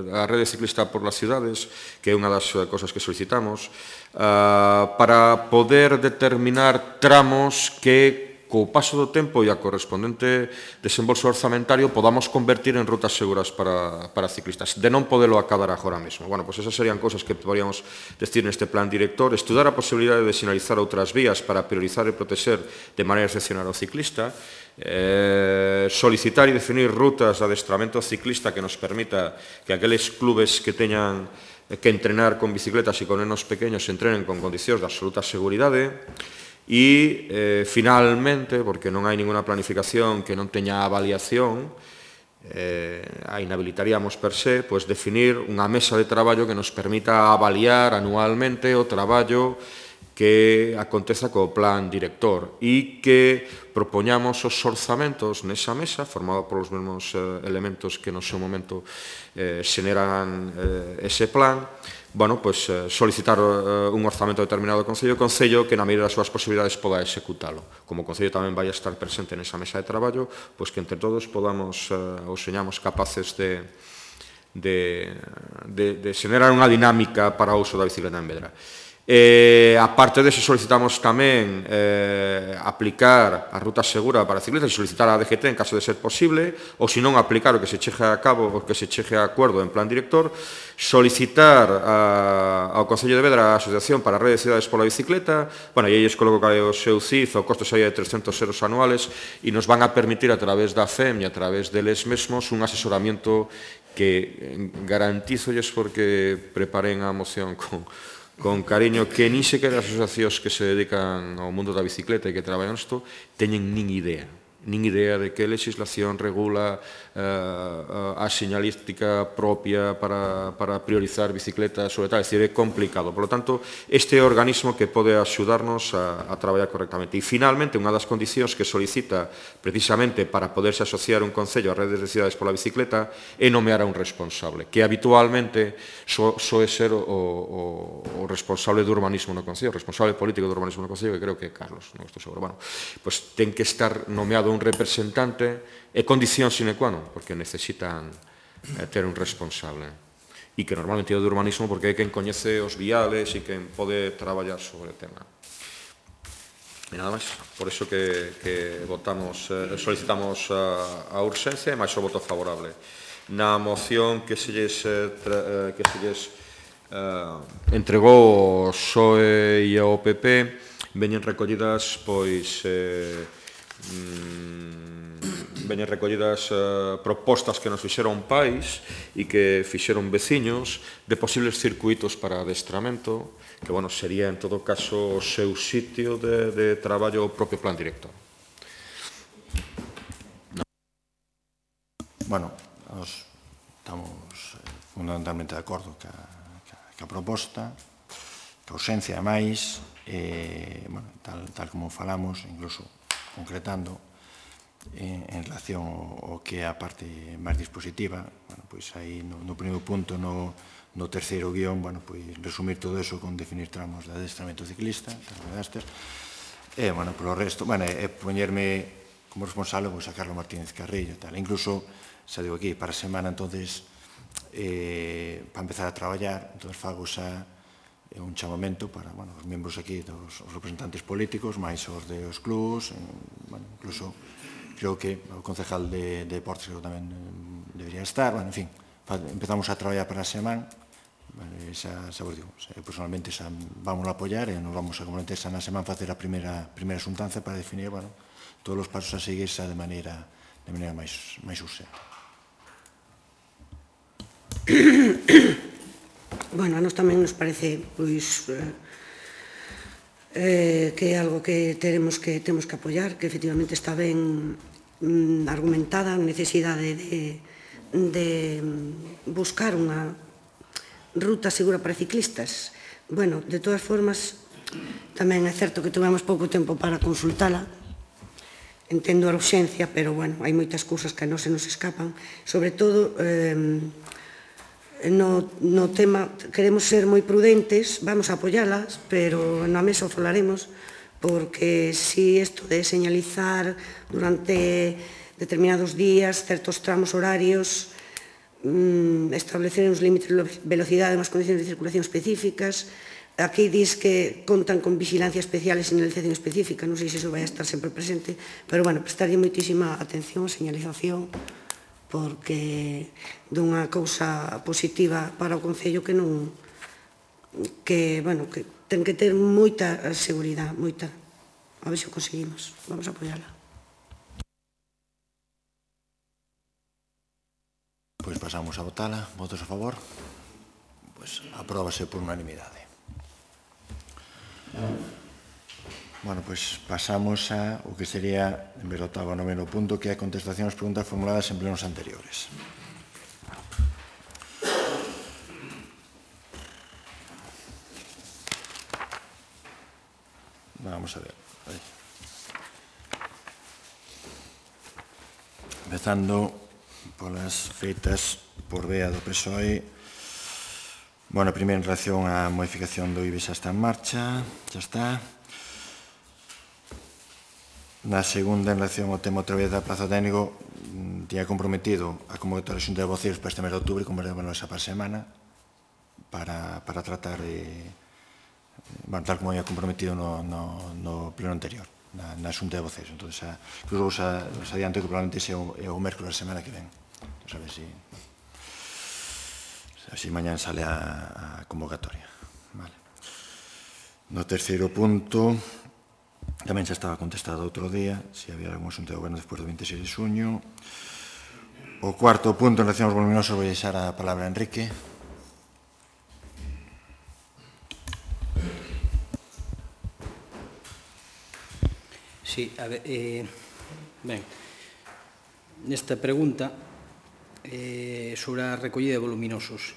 a rede ciclista por las ciudades, que é unha das uh, cosas que solicitamos, uh, para poder determinar tramos que co paso do tempo e a correspondente desembolso orzamentario podamos convertir en rutas seguras para, para ciclistas, de non podelo acabar agora mesmo. Bueno, pois esas serían cosas que poderíamos decir neste plan director, estudar a posibilidade de sinalizar outras vías para priorizar e proteger de maneira excepcional ao ciclista, eh, solicitar e definir rutas de adestramento ciclista que nos permita que aqueles clubes que teñan que entrenar con bicicletas e con nenos pequeños entrenen con condicións de absoluta seguridade. E, eh, finalmente, porque non hai ninguna planificación que non teña avaliación, eh, a inhabilitaríamos per se, pois definir unha mesa de traballo que nos permita avaliar anualmente o traballo que aconteza co plan director e que propoñamos os orzamentos nesa mesa, formado polos mesmos eh, elementos que no seu momento eh, xeneran eh, ese plan, bueno, pues, eh, solicitar eh, un orzamento determinado do Concello, o Concello que na medida das súas posibilidades poda executalo. Como o Concello tamén vai a estar presente nesa mesa de traballo, pois que entre todos podamos, eh, ou señamos capaces de, de, de, de xenerar unha dinámica para o uso da bicicleta en Vedra. Eh, aparte de eso, solicitamos tamén eh, aplicar a ruta segura para ciclistas e solicitar a D G T en caso de ser posible, ou se non aplicar o que se cheje a cabo, o que se cheje a acordo en plan director, solicitar a, ao Concello de Vedra a Asociación para a Rede de Cidades pola Bicicleta, bueno, e aí es coloco que o seu C I F, o costo sería de trescentos euros anuales, e nos van a permitir a través da F E M e a través deles mesmos un asesoramiento que garantizolles porque preparen a moción con con cariño, que nin sequera as asociacións que se dedican ao mundo da bicicleta e que traballan isto teñen nin idea, nin idea de que legislación regula uh, a señalística propia para, para priorizar bicicletas sobre tal, é dicir, é complicado. Por lo tanto, este é o organismo que pode axudarnos a, a traballar correctamente. E, finalmente, unha das condicións que solicita precisamente para poderse asociar un concello a redes de cidades pola bicicleta é nomear a un responsable, que habitualmente so, soe ser o, o, o responsable do urbanismo no concello, o responsable político do urbanismo no concello, que creo que é Carlos, non estou seguro. Bueno, pues ten que estar nomeado un representante é condición sine qua non, porque necesitan eh, ter un responsable e que normalmente é o de urbanismo porque é quen coñece os viales e quen pode traballar sobre o tema. E nada máis, por iso que, que votamos, eh, solicitamos a, a urxencia e máis o voto favorable. Na moción que se lles, eh, tra, eh, que se lles eh, entregou o X O E e o P P veñen recollidas pois eh, mm, veñen recollidas uh, propostas que nos fixeron pais e que fixeron veciños de posibles circuitos para adestramento, que, bueno, sería en todo caso o seu sitio de, de traballo o propio plan director. No. Bueno, nos estamos fundamentalmente de acordo ca, ca, ca proposta, ca ausencia máis, eh, bueno, tal, tal como falamos, incluso concretando, En, en relación ao, ao que é a parte máis dispositiva, bueno, pois aí no, no primeiro punto, no, no terceiro guión, bueno, pois resumir todo eso con definir tramos de adestramento ciclista, e, bueno, polo resto, bueno, é poñerme como responsable, pois, a Carlos Martínez Carrillo, tal, incluso, xa digo aquí, para a semana, entonces, eh, para empezar a traballar, entonces fago xa é un chamamento para, bueno, os membros aquí, dos os representantes políticos, máis os dos clubs, bueno, incluso creo que o concejal de, de deportes creo tamén debería estar, bueno, en fin, empezamos a traballar para a semana, xa, xa vos digo, xa, personalmente xa vamos a apoiar e nos vamos a comprometer xa na semana facer a primeira, primeira xuntanza para definir, bueno, todos os pasos a seguir xa de maneira, de maneira máis, máis urgente. Bueno, a nos tamén nos parece pois eh, que é algo que teremos que temos que apoiar, que efectivamente está ben mm, argumentada a necesidade de, de buscar unha ruta segura para ciclistas. Bueno, de todas formas, tamén é certo que tivemos pouco tempo para consultala. Entendo a urxencia, pero, bueno, hai moitas cousas que non se nos escapan. Sobre todo, eh, no, no tema, queremos ser moi prudentes, vamos a apoyalas, pero na mesa o falaremos, porque si isto de señalizar durante determinados días, certos tramos horarios, establecer uns límites de velocidade, unhas condicións de circulación específicas. Aquí dis que contan con vigilancia especial e señalización específica, non sei se iso vai estar sempre presente, pero, bueno, prestarlle moitísima atención a señalización, porque dunha cousa positiva para o Concello que non, que, bueno, que ten que ter moita seguridade, moita. A ver se o conseguimos, vamos a apoiala. Pois pasamos a votala. Votos a favor? Pois apróbase por unanimidade. Bueno, pois pasamos a o que sería, en vez do octavo a noveno punto, que é a contestación ás preguntas formuladas en plenos anteriores. Vamos a ver. Empezando polas feitas por vea do P S O E. Bueno, primeiro en relación á modificación do I B E xa está en marcha, xa está. Na segunda, en relación ao tema outra vez da prazo técnico, tiña comprometido a convocatoria da Xunta de Voceiros para este mes de outubro, como era esa para a semana, para, para tratar de, bueno, tal como había comprometido no, no, no pleno anterior, na, na Xunta de Voceiros. Entón, xa, incluso os, os adianto que probablemente sea o, é o mércoles da semana que ven. Entón, a ver si, así mañán sale a, a convocatoria. Vale. No terceiro punto, tamén xa estaba contestado outro día, se había algún asunto de goberno despois do veintiséis de xuño. O cuarto punto, en relación aos voluminosos, vou deixar a palabra a Enrique. Sí, a ver, eh, ben, nesta pregunta eh, sobre a recollida de voluminosos,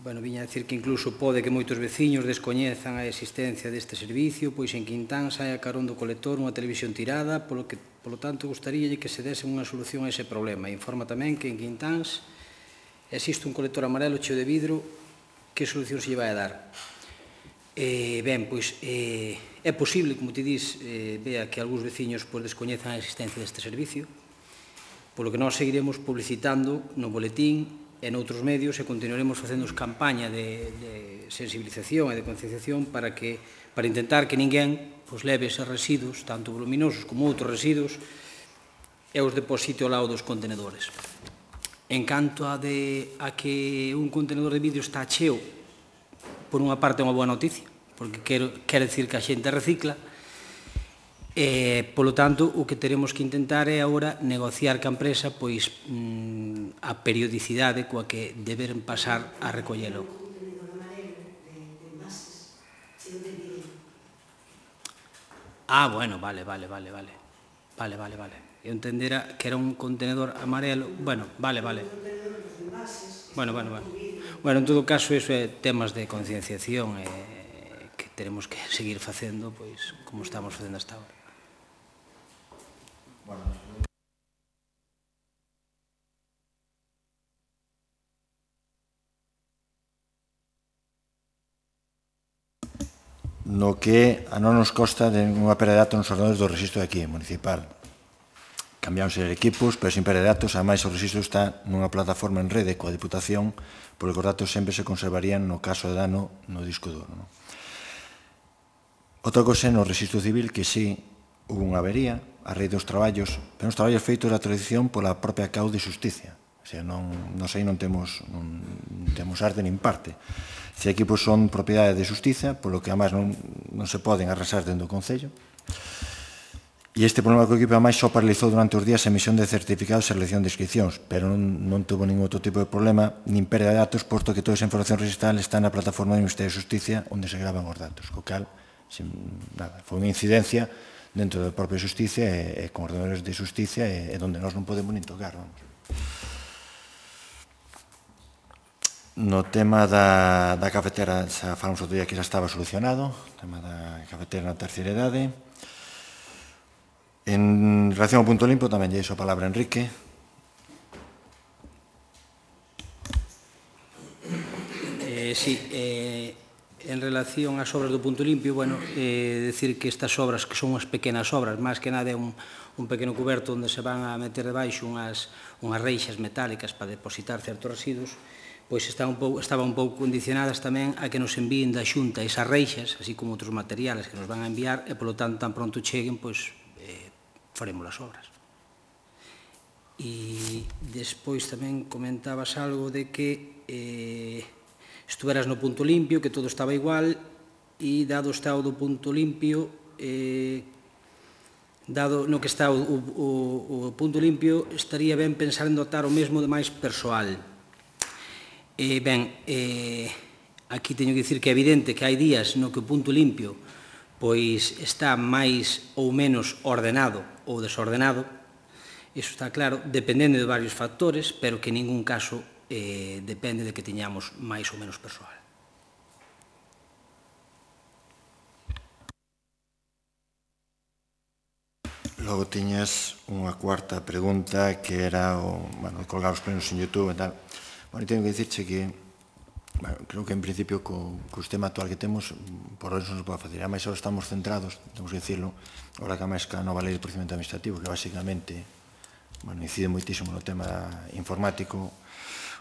bueno, viña a decir que incluso pode que moitos veciños descoñezan a existencia deste servicio, pois en Quintán sai a carón do colector unha televisión tirada, polo que, polo tanto, gustaríalle que se dese unha solución a ese problema. Informa tamén que en Quintáns existe un colector amarelo cheo de vidro, que solución se lle vai a dar? Eh, ben, pois eh, é posible, como ti dis, eh, vea que algúns veciños pois, descoñezan a existencia deste servicio, polo que nós seguiremos publicitando no boletín e noutros medios e continuaremos facendo campaña de, de sensibilización e de concienciación para, que, para intentar que ninguén pois, leve eses residuos, tanto voluminosos como outros residuos, e os deposite ao lado dos contenedores. En canto a, de, a que un contenedor de vidro está cheo, por unha parte é unha boa noticia, porque quero, quer decir que a xente recicla, e, polo tanto, o que teremos que intentar é agora negociar ca empresa pois, mm, a periodicidade coa que deberen pasar a recollelo. Ah, bueno, vale, vale, vale, vale. Vale, vale, vale. Eu entendera que era un contenedor amarelo. Bueno, vale, vale. Bueno, bueno, bueno. Bueno, en todo caso, iso é temas de concienciación eh, que teremos que seguir facendo, pois, como estamos facendo hasta agora. No que a non nos consta de unha pérdida de datos nos ordenadores do registro de aquí, municipal. cambiáronse equipos, pero sin perder datos. Ademais, o registro está nunha plataforma en rede coa Diputación, porque os datos sempre se conservarían no caso de dano no disco duro. Non? Outra cosa no registro civil que sí hubo unha avería a raíz dos traballos, pero os traballos feitos da tradición pola propia Cau de Xusticia. O sea, non, non sei, non temos, non, non temos arte nin parte. Se equipos son propiedade de Xusticia, polo que además non, non se poden arrasar dentro do Concello. E este problema co equipo ademais só paralizou durante os días a emisión de certificados e selección de inscripcións, pero non, non tuvo ningún outro tipo de problema, nin pérdida de datos, posto que toda esa información registral está na plataforma do Ministerio de Xusticia onde se gravan os datos, co cal, sin, nada, foi unha incidencia dentro da propia Xusticia e, e con ordenadores de Xusticia e, e onde nós non podemos nin tocar, vamos. No tema da, da cafetera, xa falamos outro día que xa estaba solucionado, o tema da cafetera na terceira idade. En relación ao punto limpo, tamén lle iso a palabra a Enrique. Eh, sí, eh, en relación ás obras do punto limpio, bueno, eh, decir que estas obras, que son unhas pequenas obras, máis que nada é un, un pequeno cuberto onde se van a meter debaixo unhas, unhas reixas metálicas para depositar certos residuos, pois está un pouco, estaba un pouco condicionadas tamén a que nos envíen da Xunta esas reixas, así como outros materiales que nos van a enviar, e polo tanto tan pronto cheguen, pois eh, faremos as obras. E despois tamén comentabas algo de que eh, estuveras no punto limpio, que todo estaba igual, e dado o estado do punto limpio, eh, dado no que está o, o, o punto limpio, estaría ben pensar en dotar o mesmo de máis persoal. Eh, ben, eh, aquí teño que dicir que é evidente que hai días no que o punto limpio pois está máis ou menos ordenado ou desordenado, iso está claro, dependendo de varios factores, pero que en ningún caso eh, depende de que teñamos máis ou menos persoal. Logo tiñas unha cuarta pregunta que era o, bueno, colgar os plenos en YouTube e tal. Bueno, teño que dicirche que, bueno, creo que en principio co, co sistema actual que temos, por eso non se pode facer. Ademais, ahora estamos centrados, temos que dicirlo, ahora que a máis que a nova lei de procedimento administrativo, que basicamente, bueno, incide moitísimo no tema informático,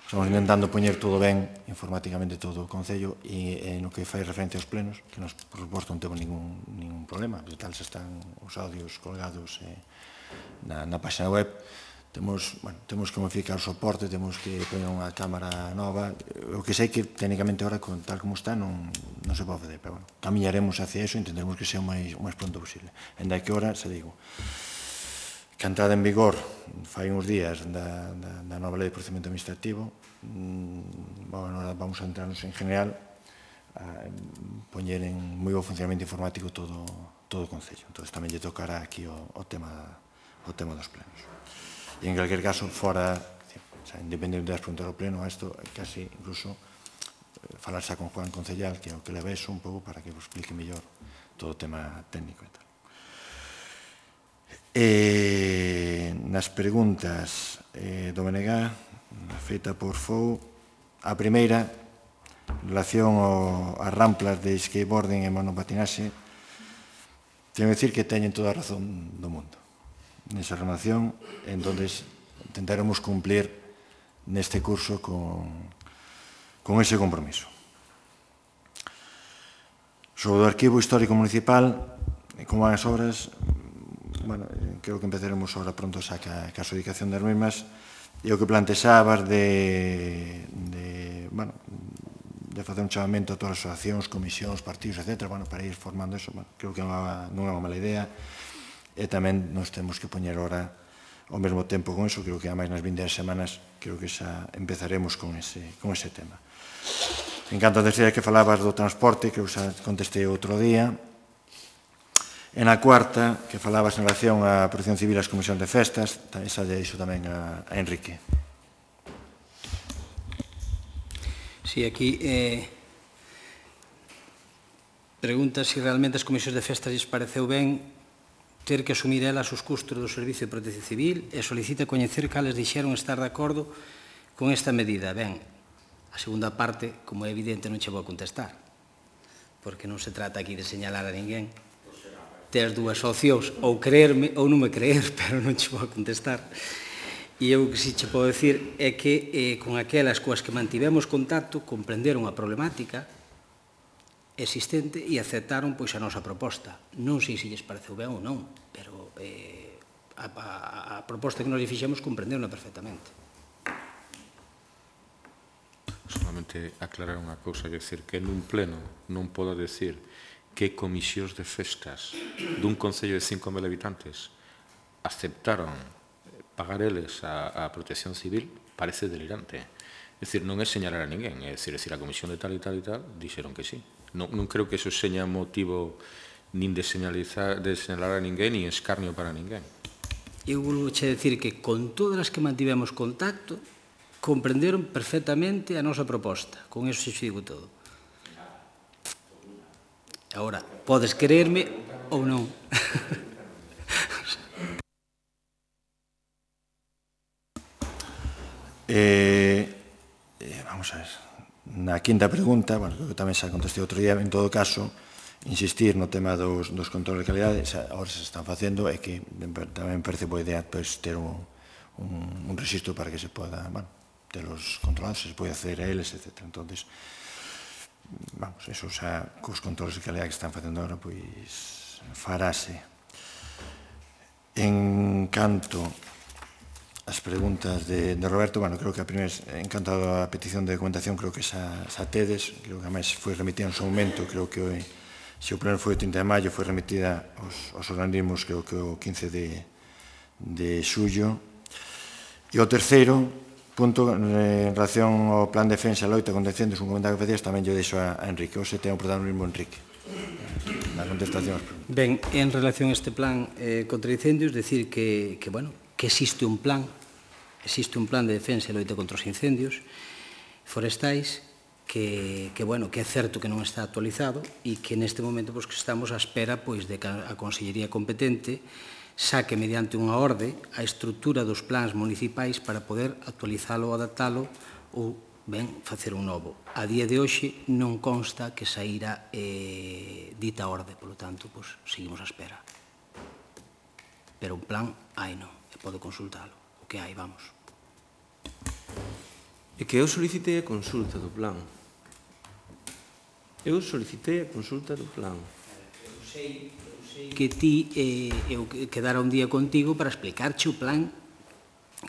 estamos intentando poñer todo ben, informáticamente todo o Concello, e, e no que fai referencia aos plenos, que nos, por suposto, non temos ningún, ningún problema, porque tal se están os audios colgados eh, na, na página web. Temos, bueno, temos que modificar o soporte, temos que poñer unha cámara nova. O que sei que, técnicamente, ahora, tal como está, non, non se pode fazer, pero, bueno, camiñaremos hacia eso e intentaremos que sea o máis, o máis pronto posible. En da que hora, se digo, que a entrada en vigor fai uns días da, da, da nova lei de procedimento administrativo, mmm, bueno, ahora vamos a entrarnos en general a poñer en moi bo funcionamento informático todo, todo o Concello. Entón, tamén lle tocará aquí o, o, tema, o tema dos plenos. E en calquer caso, fora, o sea, independente das preguntas ao pleno, a isto casi incluso eh, falarse con Juan Concellal, que é o que le beso un pouco para que vos explique mellor todo o tema técnico e tal. E nas preguntas eh, do B N G, feita por Fou, a primeira, en relación ao, as ramplas de skateboarding e monopatinaxe, teño que dicir que teñen toda a razón do mundo nesa relación, entonces intentaremos cumplir neste curso con, con ese compromiso. Sobre o arquivo histórico municipal, como van as obras, bueno, creo que empezaremos ahora pronto xa ca, ca adjudicación das mesmas, e o que plantexabas de, de, bueno, de facer un chamamento a todas as asociacións, comisións, partidos, etcétera, bueno, para ir formando eso, bueno, creo que non é unha mala idea. E tamén nos temos que poñer ahora ao mesmo tempo con eso, creo que a máis nas vindeiras semanas creo que xa empezaremos con ese, con ese tema. En canto a terceira que falabas do transporte, creo que xa contestei outro día. En a cuarta, que falabas en relación á protección civil e as comisións de festas, esa lle dixo tamén a, a Enrique. Sí, aquí eh, pregunta se si realmente as comisións de festas lles pareceu ben ter que asumir elas os custos do Servicio de Protección Civil e solicita coñecer cales dixeron estar de acordo con esta medida. Ben, a segunda parte, como é evidente, non che vou contestar, porque non se trata aquí de señalar a ninguén. tes dúas opcións, ou creerme ou non me creer, pero non che vou contestar. E eu que si che podo decir é que eh, con aquelas coas que mantivemos contacto comprenderon a problemática existente e aceptaron pois a nosa proposta. Non sei se lles pareceu ben ou non, pero eh, a, a, a proposta que nos fixemos comprenderon perfectamente. Solamente aclarar unha cousa, é dicir, que nun pleno non podo decir que comisións de festas dun concello de cinco mil habitantes aceptaron pagar eles a, a protección civil, parece delirante. É dicir, non é señalar a ninguén, é dicir, a comisión de tal e tal e tal dixeron que sí. Non, non creo que eso seña motivo nin de señalizar, de señalar a ninguén, nin escarnio para ninguén. Eu vou che decir que con todas as que mantivemos contacto comprenderon perfectamente a nosa proposta. Con eso xe digo todo. Agora, podes creerme ou non. eh, eh, vamos a ver. Na quinta pregunta, bueno, que tamén xa contestei outro día, en todo caso, insistir no tema dos, dos controles de calidade, xa, agora se están facendo, é que tamén parece boa idea pues, ter un, un, un registro para que se poda, bueno, ter os controlados, se pode acceder a eles, etcétera. Entonces, vamos, eso xa, cos controles de calidade que están facendo agora, pois, farase. En canto as preguntas de, de Roberto, bueno, creo que a primeira, en canto a petición de documentación, creo que xa, xa tedes, creo que a máis foi remitida en seu momento, creo que hoy, se o pleno foi o trinta de maio, foi remitida aos, aos organismos, creo que o quince de, de xullo. E o terceiro punto, en relación ao plan de defensa e loita contra incendios, un comentario que facías, tamén yo deixo a, a Enrique. Hoxe ten o protagonismo Enrique. Na contestación. Ben, en relación a este plan eh, contra incendios, decir que, que, bueno, que existe un plan, existe un plan de defensa e loita contra os incendios forestais que, que, bueno, que é certo que non está actualizado e que neste momento pues, que estamos á espera pois, de que a Consellería competente saque mediante unha orde a estrutura dos plans municipais para poder actualizalo ou adaptalo ou ben facer un novo. A día de hoxe non consta que saíra eh, dita orde, polo tanto, pues, seguimos á espera. Pero un plan hai non, e pode consultalo, o que hai, vamos. É que eu solicitei a consulta do plan. Eu solicitei a consulta do plan. Eu sei, eu sei que ti, eh, eu quedara un día contigo para explicarche o plan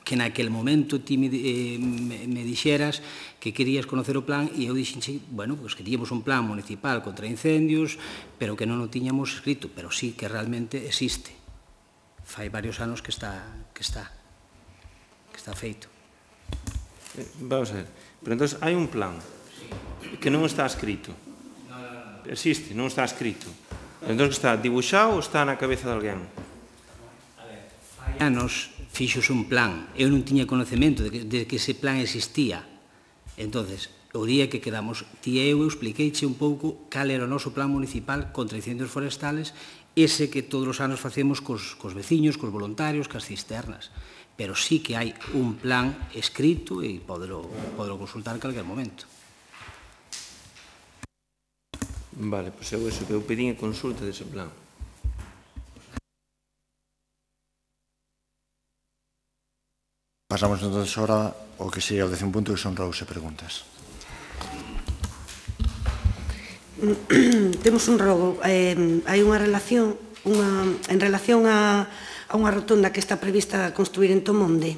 que naquel momento ti me, eh, me, me dixeras que querías conocer o plan e eu dixenche, bueno, pues que tíamos un plan municipal contra incendios, pero que non o tiñamos escrito, pero sí que realmente existe. Fai varios anos que está, que está, que está feito. Eh, vamos a ver, pero entón hai un plan que non está escrito. Existe, non está escrito. Entón está dibuixado ou está na cabeza de alguén? Fai anos fixos un plan, eu non tiña conocemento de que, de que ese plan existía. Entonces, o día que quedamos, ti e eu, eu expliqueiche un pouco cal era o noso plan municipal contra incendios forestales, ese que todos os anos facemos cos, cos veciños, cos voluntarios, cas cisternas. Pero sí que hai un plan escrito e podelo, podelo consultar en calquer momento. Vale, pois eu eso, que eu pedín a consulta dese plan. Pasamos entonces ahora ao que sería o décimo punto, que son roubos e preguntas. Temos un robo. Eh, hai unha relación, unha, en relación a, a unha rotonda que está prevista construir en Tomonde.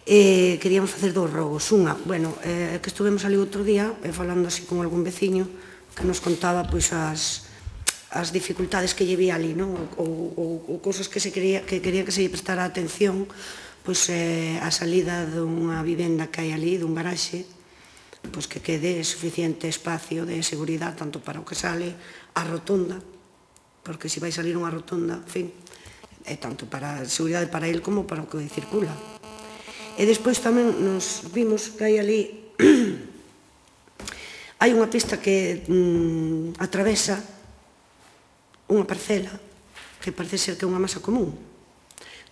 Eh, queríamos facer dous robos. Unha, bueno, eh, que estuvemos ali outro día, eh, falando así con algún veciño, que nos contaba pois as as dificultades que lle vi ali, non? Ou, ou, ou cousas que, se quería, que quería que se lle prestara atención, pois eh, a salida dunha vivenda que hai ali, dun garaxe, pois que quede suficiente espacio de seguridade tanto para o que sale a rotonda, porque se vai salir unha rotonda, en fin, é tanto para a seguridade para el como para o que circula. E despois tamén nos vimos que hai ali hai unha pista que mm, atravesa unha parcela que parece ser que é unha masa común.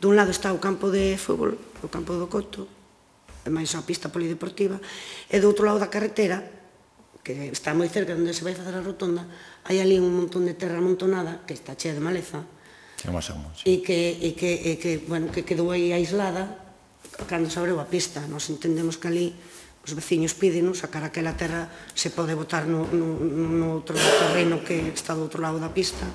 Dun lado está o campo de fútbol, o campo do Coto, e máis a pista polideportiva, e do outro lado da carretera, que está moi cerca onde se vai facer a rotonda, hai ali un montón de terra amontonada que está chea de maleza e que, e que, e que, bueno, que quedou aí aislada cando se abreu a pista. Nos entendemos que ali os veciños pídenos sacar aquela terra, se pode botar no, no, no outro terreno que está do outro lado da pista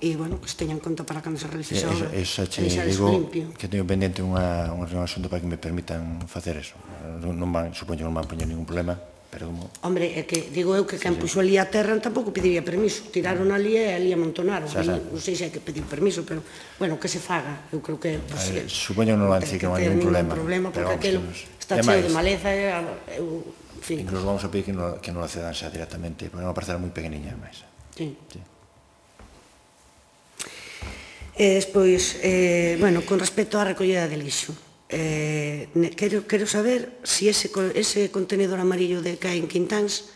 e, bueno, que se teña en conta para cando se realice esa obra. Eso che digo que teño pendente unha asunto para que me permitan facer eso. Non van, supoño que non van poñer ningún problema, pero como... Hombre, é que digo eu que quen puxo ali a terra tampouco pediría permiso. Tiraron ali e ali amontonaron. Non sei se hai que pedir permiso, pero, bueno, que se faga. Eu creo que... Supoño que non van dicir que non hai ningún problema. Porque aquilo está cheo de maleza e... Incluso vamos a pedir que non lo cedan xa directamente, porque é unha parcela moi pequeniña, máis. Sí. E despois, bueno, con respecto á recollida de lixo, quero saber se ese contenedor amarillo de que hai en Quintáns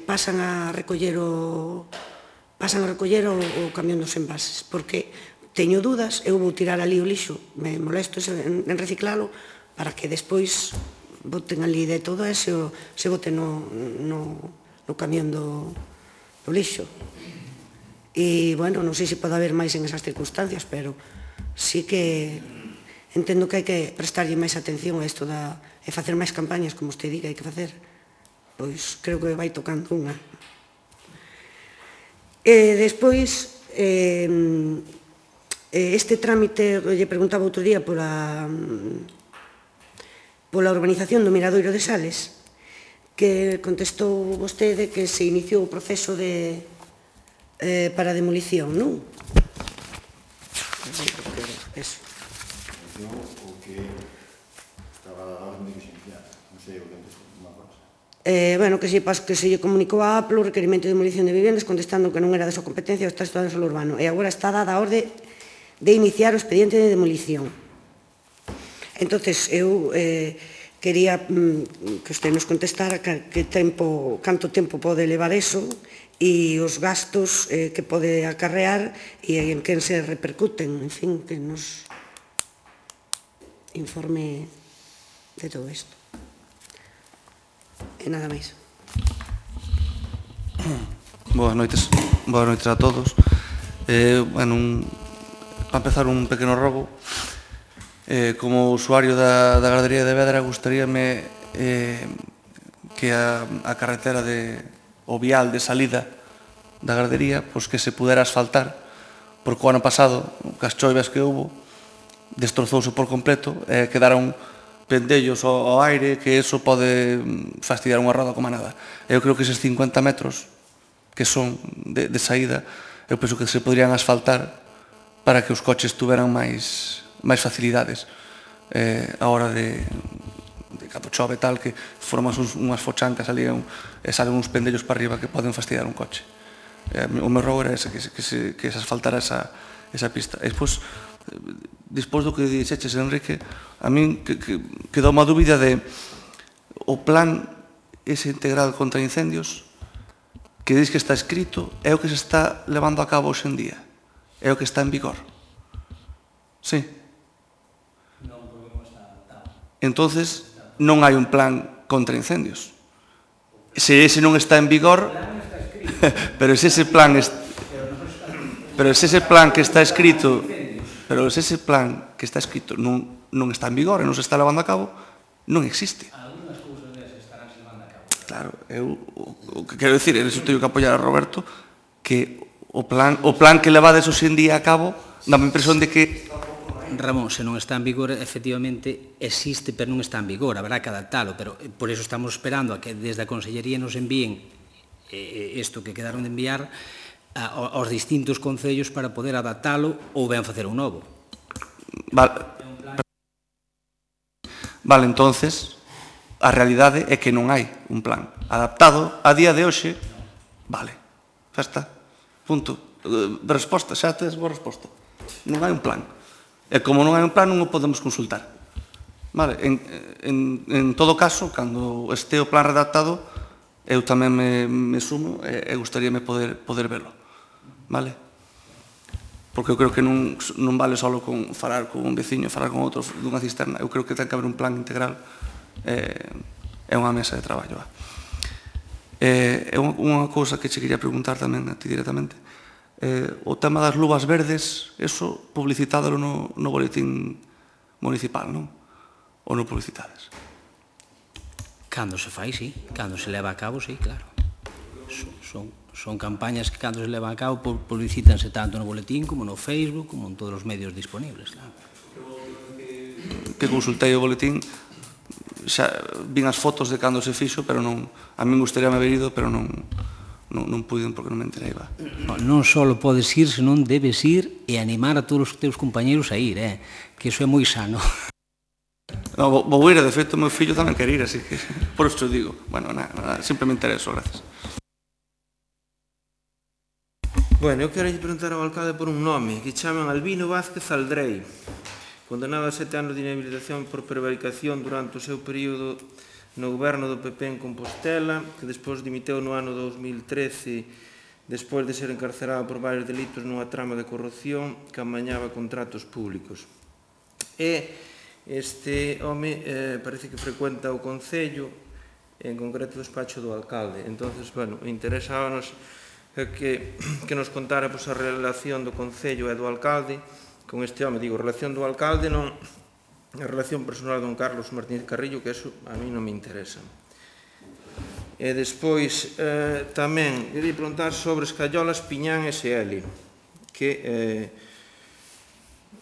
pasan a recoller o pasan a recoller o camión dos envases, porque teño dúdas, eu vou tirar ali o lixo, me molesto en reciclalo, para que despois boten ali de todo e se boten no camión do lixo. E, bueno, non sei se pode haber máis en esas circunstancias, pero sí que entendo que hai que prestarlle máis atención a isto e facer máis campañas, como usted diga, hai que facer. Pois creo que vai tocando unha. E despois, este trámite, lle preguntaba outro día pola pola urbanización do Miradoiro de Sales, que contestou vostede que se iniciou o proceso de para a demolición, non? Eso. O que estaba a orden de que se iniciara, non sei o que antes unha cosa. Bueno, que se lle comunicou a APLO o requerimento de demolición de vivendas contestando que non era de súa competencia o Estado de Solo Urbano e agora está dada a orde de iniciar o expediente de demolición. Entonces, eu quería que usted nos contestara canto tempo pode levar eso e os gastos que pode acarrear e en quen se repercuten, en fin, que nos informe de todo isto. E nada máis. Boas noites, boas noites a todos. Bueno, para empezar un pequeno robo, como usuario da gardería de Vedra, gustaríame que a carretera de o vial de salida da gardería, pois que se pudera asfaltar, porque o ano pasado, cas choivas que houve, destrozouse por completo, e quedaron pendellos ao aire, que eso pode fastidiar unha roda como nada. Eu creo que eses cincuenta metros que son de saída, eu penso que se poderían asfaltar para que os coches tuveran máis facilidades a hora de cando chove tal, que formas unhas fochancas ali e salen uns pendellos para arriba que poden fastidiar un coche. O meu rogo era ese, que se asfaltara esa pista. E despois, despois do que dixeches, Enrique, a min quedou unha dúbida de o plan ese integral contra incendios que dis que está escrito é o que se está levando a cabo hoxe en día, é o que está en vigor. Sí. Entonces, non hai un plan contra incendios. Se ese non está en vigor, pero se ese plan pero se ese plan que está escrito pero se ese plan que está escrito non está en vigor e non se está levando a cabo, non existe. Claro, eu o que quero dicir, eu teño que apoiar a Roberto, que o plan que levades hoxe en día a cabo dá a impresión de que Ramón, se non está en vigor, efectivamente existe, pero non está en vigor, habrá que adaptalo, pero por eso estamos esperando a que desde a Consellería nos envíen isto que quedaron de enviar aos distintos concellos para poder adaptalo ou ben facer un novo. Vale, entonces, a realidade é que non hai un plan adaptado a día de hoxe. Vale, xa está, punto. Resposta, xa tes boa resposta. Non hai un plan. E como non hai un plan, non o podemos consultar. Vale, en todo caso, cando este o plan redactado, eu tamén me sumo e gustaríame poder velo. Vale? Porque eu creo que non vale só con falar con un veciño, falar con outro dunha cisterna. Eu creo que ten que haber un plan integral e unha mesa de traballo. Eh, é unha cousa que che quería preguntar tamén a ti directamente. Eh, o tema das luvas verdes, eso publicitádelo no, no boletín municipal, non? Ou non publicitades? Cando se fai, sí. Cando se leva a cabo, sí, claro. Son, son, son campañas que cando se levan a cabo publicítanse tanto no boletín como no Facebook, como en todos os medios disponibles, claro. Que consultei o boletín, xa vin as fotos de cando se fixo, pero non, a min gustaría haber ido, pero non, non, non puiden porque non me enterei, va. Non só podes ir, senón debes ir e animar a todos os teus compañeros a ir, eh? Que iso é moi sano. No, vou, vou ir, de feito, o meu fillo tamén quer ir, así que, por isto digo. Bueno, nada, nada, simplemente era eso, gracias. Bueno, eu quero preguntar ao alcalde por un nome, que chaman Albino Vázquez Aldrei, condenado a sete anos de inhabilitación por prevaricación durante o seu período no goberno do P P en Compostela, que despois dimiteu no ano dos mil trece, despois de ser encarcerado por varios delitos nunha trama de corrupción que amañaba contratos públicos. E este home eh, parece que frecuenta o Concello, en concreto o despacho do alcalde. Entonces, bueno, interesábanos que, que nos contara pois, a relación do Concello e do alcalde con este home. Digo, a relación do alcalde non a relación personal don Carlos Martínez Carrillo, que eso a mí non me interesa. E despois eh, tamén quería preguntar sobre Escayolas Piñán S L, que eh,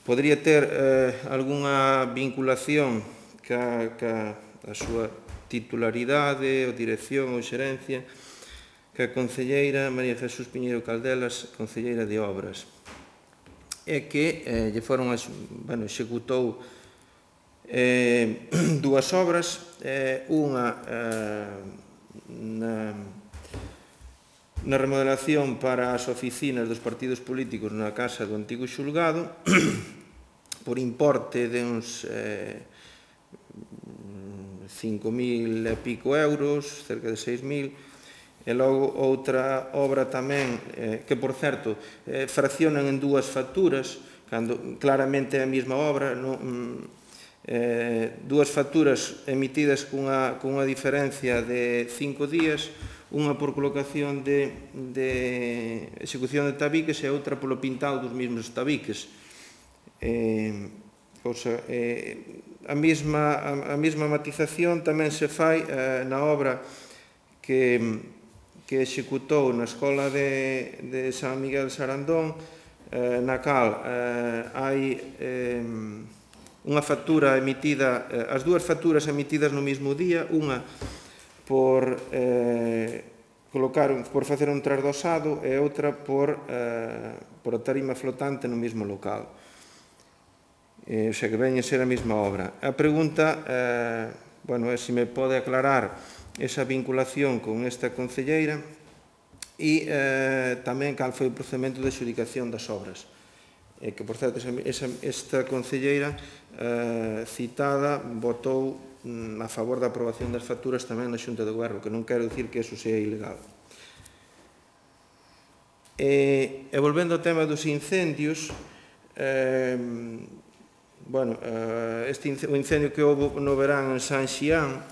podría ter eh, algunha vinculación ca, ca a súa titularidade ou dirección ou xerencia que a concelleira María Jesús Piñeiro Caldelas, concelleira de Obras, e que eh, lle foron, bueno, executou eh, dúas obras, eh, unha eh, na, na remodelación para as oficinas dos partidos políticos na casa do antigo xulgado, por importe de uns eh, cinco mil e pico euros, cerca de seis mil, e logo outra obra tamén, eh, que por certo, eh, fraccionan en dúas facturas, cando claramente é a mesma obra, non, eh, dúas facturas emitidas cunha, cunha diferencia de cinco días, unha por colocación de, de execución de tabiques e outra polo pintado dos mesmos tabiques. Eh, cosa, eh, a, mesma, a, a mesma matización tamén se fai eh, na obra que que executou na Escola de, de San Miguel de Sarandón, eh, na cal eh, hai eh, unha factura emitida, eh, as dúas facturas emitidas no mesmo día, unha por eh, colocar, por facer un trasdosado e outra por, eh, por a tarima flotante no mesmo local. Eh, o sea, que veña a ser a mesma obra. A pregunta, eh, bueno, é se me pode aclarar esa vinculación con esta concelleira e eh, tamén cal foi o procedimento de adxudicación das obras. E que, por certo, esa, esa, esta concelleira eh, citada votou mm, a favor da aprobación das facturas tamén na Xunta de Goberno, que non quero dicir que eso sea ilegal. E, e volvendo ao tema dos incendios, eh, bueno, eh, este, o incendio que houve no verán en San Xián,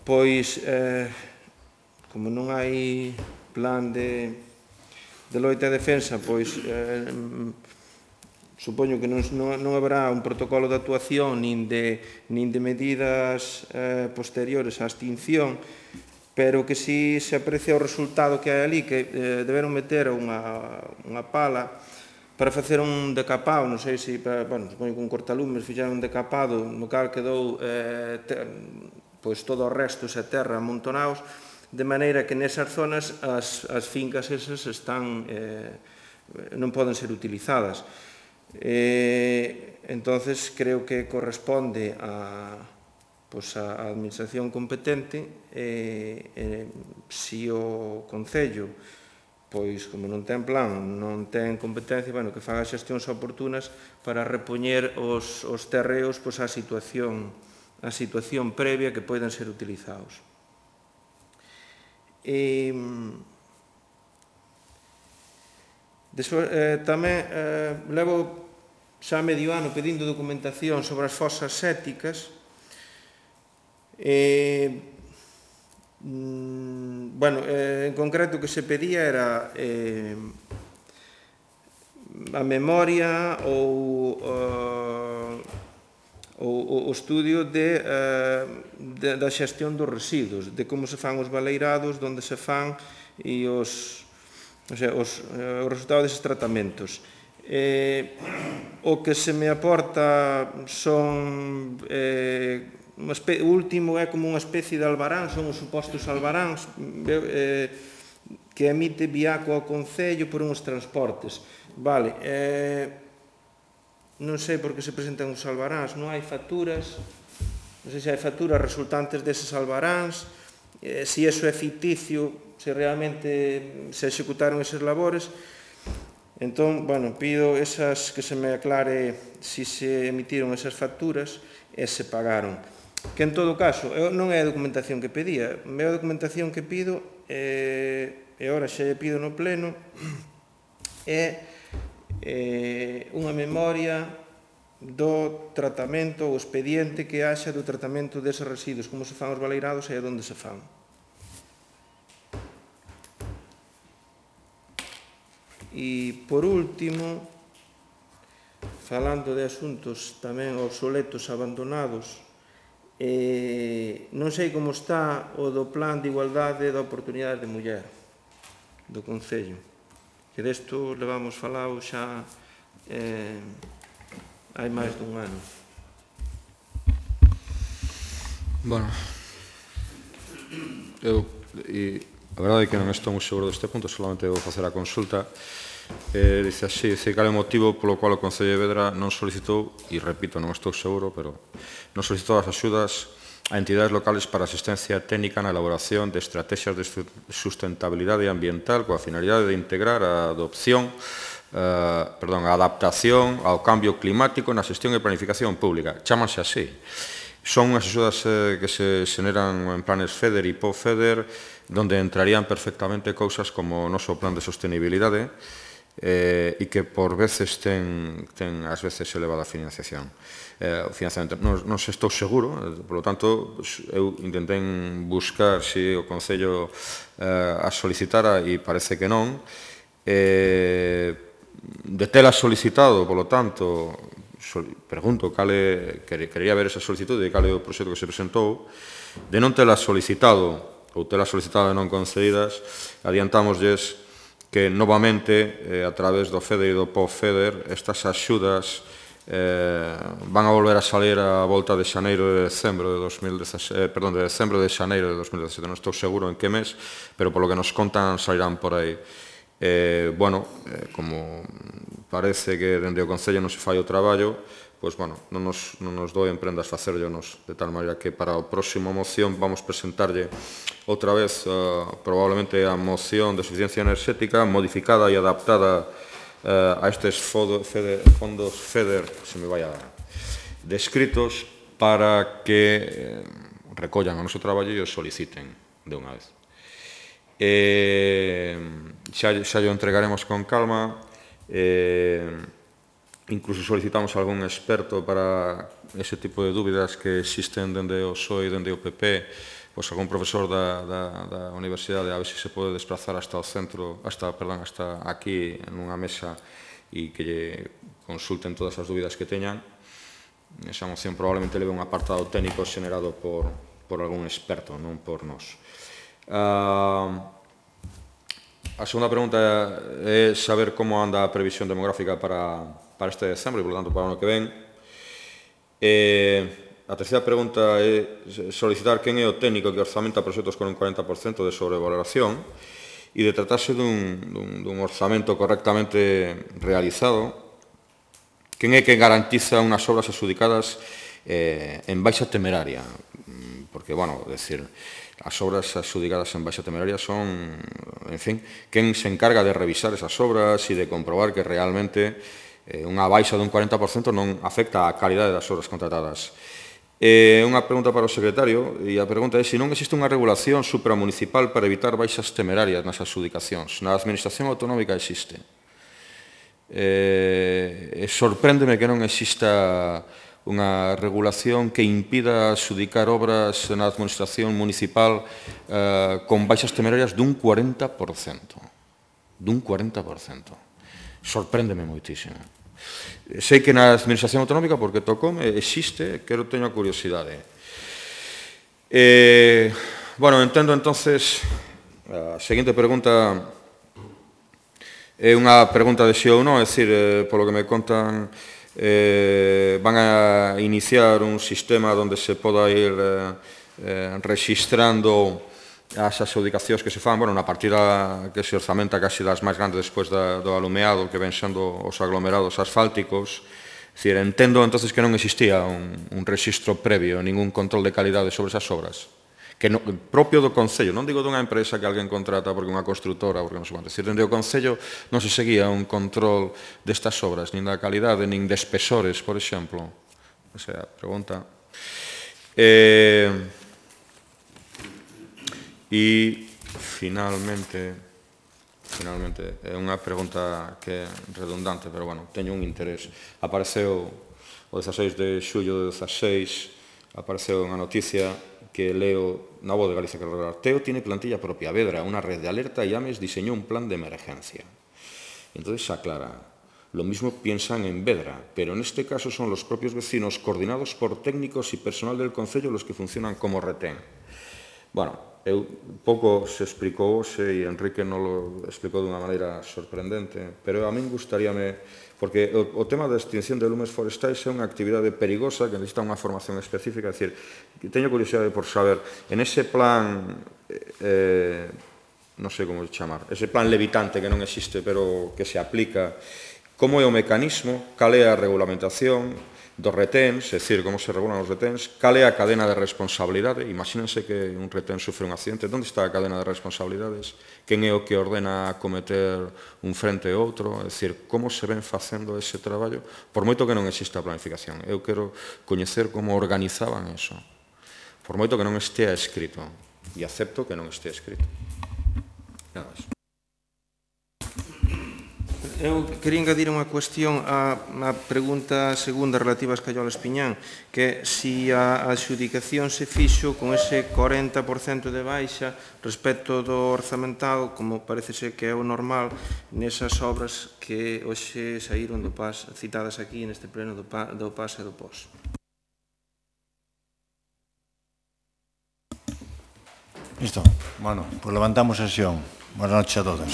pois, eh, como non hai plan de, de loita e defensa, pois, eh, supoño que non, non, non haberá un protocolo de actuación nin de, nin de medidas eh, posteriores á extinción, pero que si se aprecia o resultado que hai ali, que eh, deberon meter unha, unha pala para facer un decapado, non sei se, para, bueno, supoño que un cortalumes fixeron un decapado, no cal quedou eh, te, pois todo o resto e terra amontonados, de maneira que nesas zonas as, as fincas esas están, eh, non poden ser utilizadas. Eh, entonces creo que corresponde a, pois a administración competente eh, eh, si o Concello, pois como non ten plan, non ten competencia, bueno, que faga xestións oportunas para repoñer os, os terreos pois, á situación a situación previa que poden ser utilizados. E, despois, eh, tamén eh, levo xa medio ano pedindo documentación sobre as fosas sépticas. E, Bueno, en concreto o que se pedía era a memoria ou o estudio da xestión dos residuos, de como se fan os baleirados, onde se fan e os resultados deses tratamentos. O que se me aporta son... O último é como unha especie de albarán, son os supostos albaráns que emite Biaco ao Concello por uns transportes. Vale, non sei por que se presentan os albaráns, non hai facturas, non sei se hai facturas resultantes deses albaráns, se iso é ficticio, se realmente se executaron eses labores. Entón, bueno, pido esas que se me aclare se se emitiron esas facturas e se pagaron. Que en todo caso, non é a documentación que pedía, a documentación que pido, e agora xa lle pido no pleno, é unha memoria do tratamento, o expediente que haxa do tratamento deses residuos, como se fan os baleirados e onde se fan. E, por último, falando de asuntos tamén obsoletos, abandonados, non sei como está o do Plan de Igualdade da Oportunidade de Muller do Concello, que desto levamos falado xa hai máis dun ano. Bueno, eu, a verdade é que non estou moi seguro deste punto, solamente vou facer a consulta. Dice así, dice cal é o motivo polo cual o Concello de Vedra non solicitou, e repito, non estou seguro, pero non solicitou as axudas a entidades locales para asistencia técnica na elaboración de estrategias de sustentabilidade ambiental coa finalidade de integrar a adopción, perdón, a adaptación ao cambio climático na xestión e planificación pública. Chámanse así. Son unhas axudas que se xeneran en planes FEDER e P O FEDER, donde entrarían perfectamente cousas como o noso plan de sostenibilidade, e que por veces ten ás veces elevada financiación. Non se estou seguro, por lo tanto, eu intentei buscar se o Concello a solicitara e parece que non. De tela solicitado, por lo tanto, pregunto cale, quería ver esa solicitude e cal é o proxecto que se presentou. De non tela solicitado ou tela solicitado e non concedidas, adiantámoslles que novamente, a través do FEDER e do P O FEDER, estas axudas van a volver a salir a volta de xaneiro de decembro de dos mil dezasete, perdón, de decembro de xaneiro de dos mil dezasete, non estou seguro en que mes, pero polo que nos contan salirán por aí. Bueno, como parece que dende o Concello non se fai o traballo, pois, bueno, non nos doen prendas facerllonos, de tal maneira que para a próxima moción vamos presentarlle outra vez probablemente a moción de suficiencia enerxética modificada e adaptada a estes fondos FEDER, se me vai a descritos, para que recollan o noso traballo e o soliciten de unha vez. Xa o entregaremos con calma. Incluso solicitamos a algún experto para ese tipo de dúbidas que existen dende o P S O E e dende o P P, pois algún profesor da universidade, a ver se se pode desplazar hasta o centro, hasta, perdón, hasta aquí nunha mesa e que lle consulten todas as dúbidas que teñan. Esa moción probablemente leve un apartado técnico xenerado por algún experto, non por nós. A segunda pregunta é saber como anda a previsión demográfica para para este decembro e, por lo tanto, para o ano que ven. A terceira pregunta é solicitar quen é o técnico que orzamenta proxectos con un cuarenta por cento de sobrevaloración e de tratarse dun orzamento correctamente realizado, quen é que garantiza unhas obras adxudicadas en baixa temeraria. Porque, bueno, decir, as obras adxudicadas en baixa temeraria son, en fin, quen se encarga de revisar esas obras e de comprobar que realmente unha baixa dun cuarenta por cento non afecta a calidade das obras contratadas. Unha pregunta para o secretario, e a pregunta é se non existe unha regulación supramunicipal para evitar baixas temerarias nas adxudicacións. Na administración autonómica existe. Sorpréndeme que non exista unha regulación que impida adxudicar obras na administración municipal eh, con baixas temerarias dun cuarenta por cento. Dun cuarenta por cento. Sorpréndeme moitísimo. Sei que na administración autonómica, porque tocoume, existe, quero teño a curiosidade. Eh, bueno, entendo entonces, a seguinte pregunta é unha pregunta de si ou non, é dicir, eh, polo que me contan, eh, van a iniciar un sistema onde se poda ir eh, eh, registrando as adxudicacións que se fan, bueno, na partida que se orzamenta casi das máis grandes despois da, do alumeado, que ven sendo os aglomerados asfálticos. É dicir, entendo entonces que non existía un, un registro previo, ningún control de calidade sobre esas obras, que no, propio do Concello, non digo dunha empresa que alguén contrata porque unha constructora, porque non sei quanto, é dicir, dende o Concello non se seguía un control destas obras, nin da calidade, nin de espesores, por exemplo. O sea, pregunta. Eh, e, finalmente, finalmente, é unha pregunta que é redundante, pero, bueno, teño un interés. Apareceu o dezaseis de xullo de dezaseis, apareceu unha noticia que leo na Voz de Galicia, que recordar. Teo tiene plantilla propia. Vedra, una red de alerta y Ames diseñó un plan de emergencia. Entonces aclara, lo mismo piensan en Vedra, pero en este caso son los propios vecinos coordinados por técnicos y personal del Concello los que funcionan como retén. Bueno, eu, pouco se explicou e Enrique non lo explicou de unha maneira sorprendente, pero a min gustaríame, porque o, o tema da extinción de lumes forestais é unha actividade perigosa que necesita unha formación específica, é dicir, teño curiosidade por saber, en ese plan, eh, non sei como chamar, ese plan levitante que non existe, pero que se aplica, como é o mecanismo, cal é a regulamentación dos reténs, é dicir, como se regulan os reténs, cal é a cadena de responsabilidade, imagínense que un retén sufre un accidente, onde está a cadena de responsabilidades, quen é o que ordena cometer un frente ou outro, é dicir, como se ven facendo ese traballo, por moito que non exista a planificación. Eu quero coñecer como organizaban eso, por moito que non estea escrito, e acepto que non estea escrito. Nada máis. Eu quería engadir unha cuestión á, á pregunta segunda relativa ás Callolas Piñán, que é se a adxudicación se fixo con ese cuarenta por cento de baixa respecto do orzamentado, como parece ser que é o normal nesas obras que hoxe saíron do P A S, citadas aquí neste pleno do P A S e do P O S. Listo. Bueno, pues levantamos sesión. Buenas noches a todos.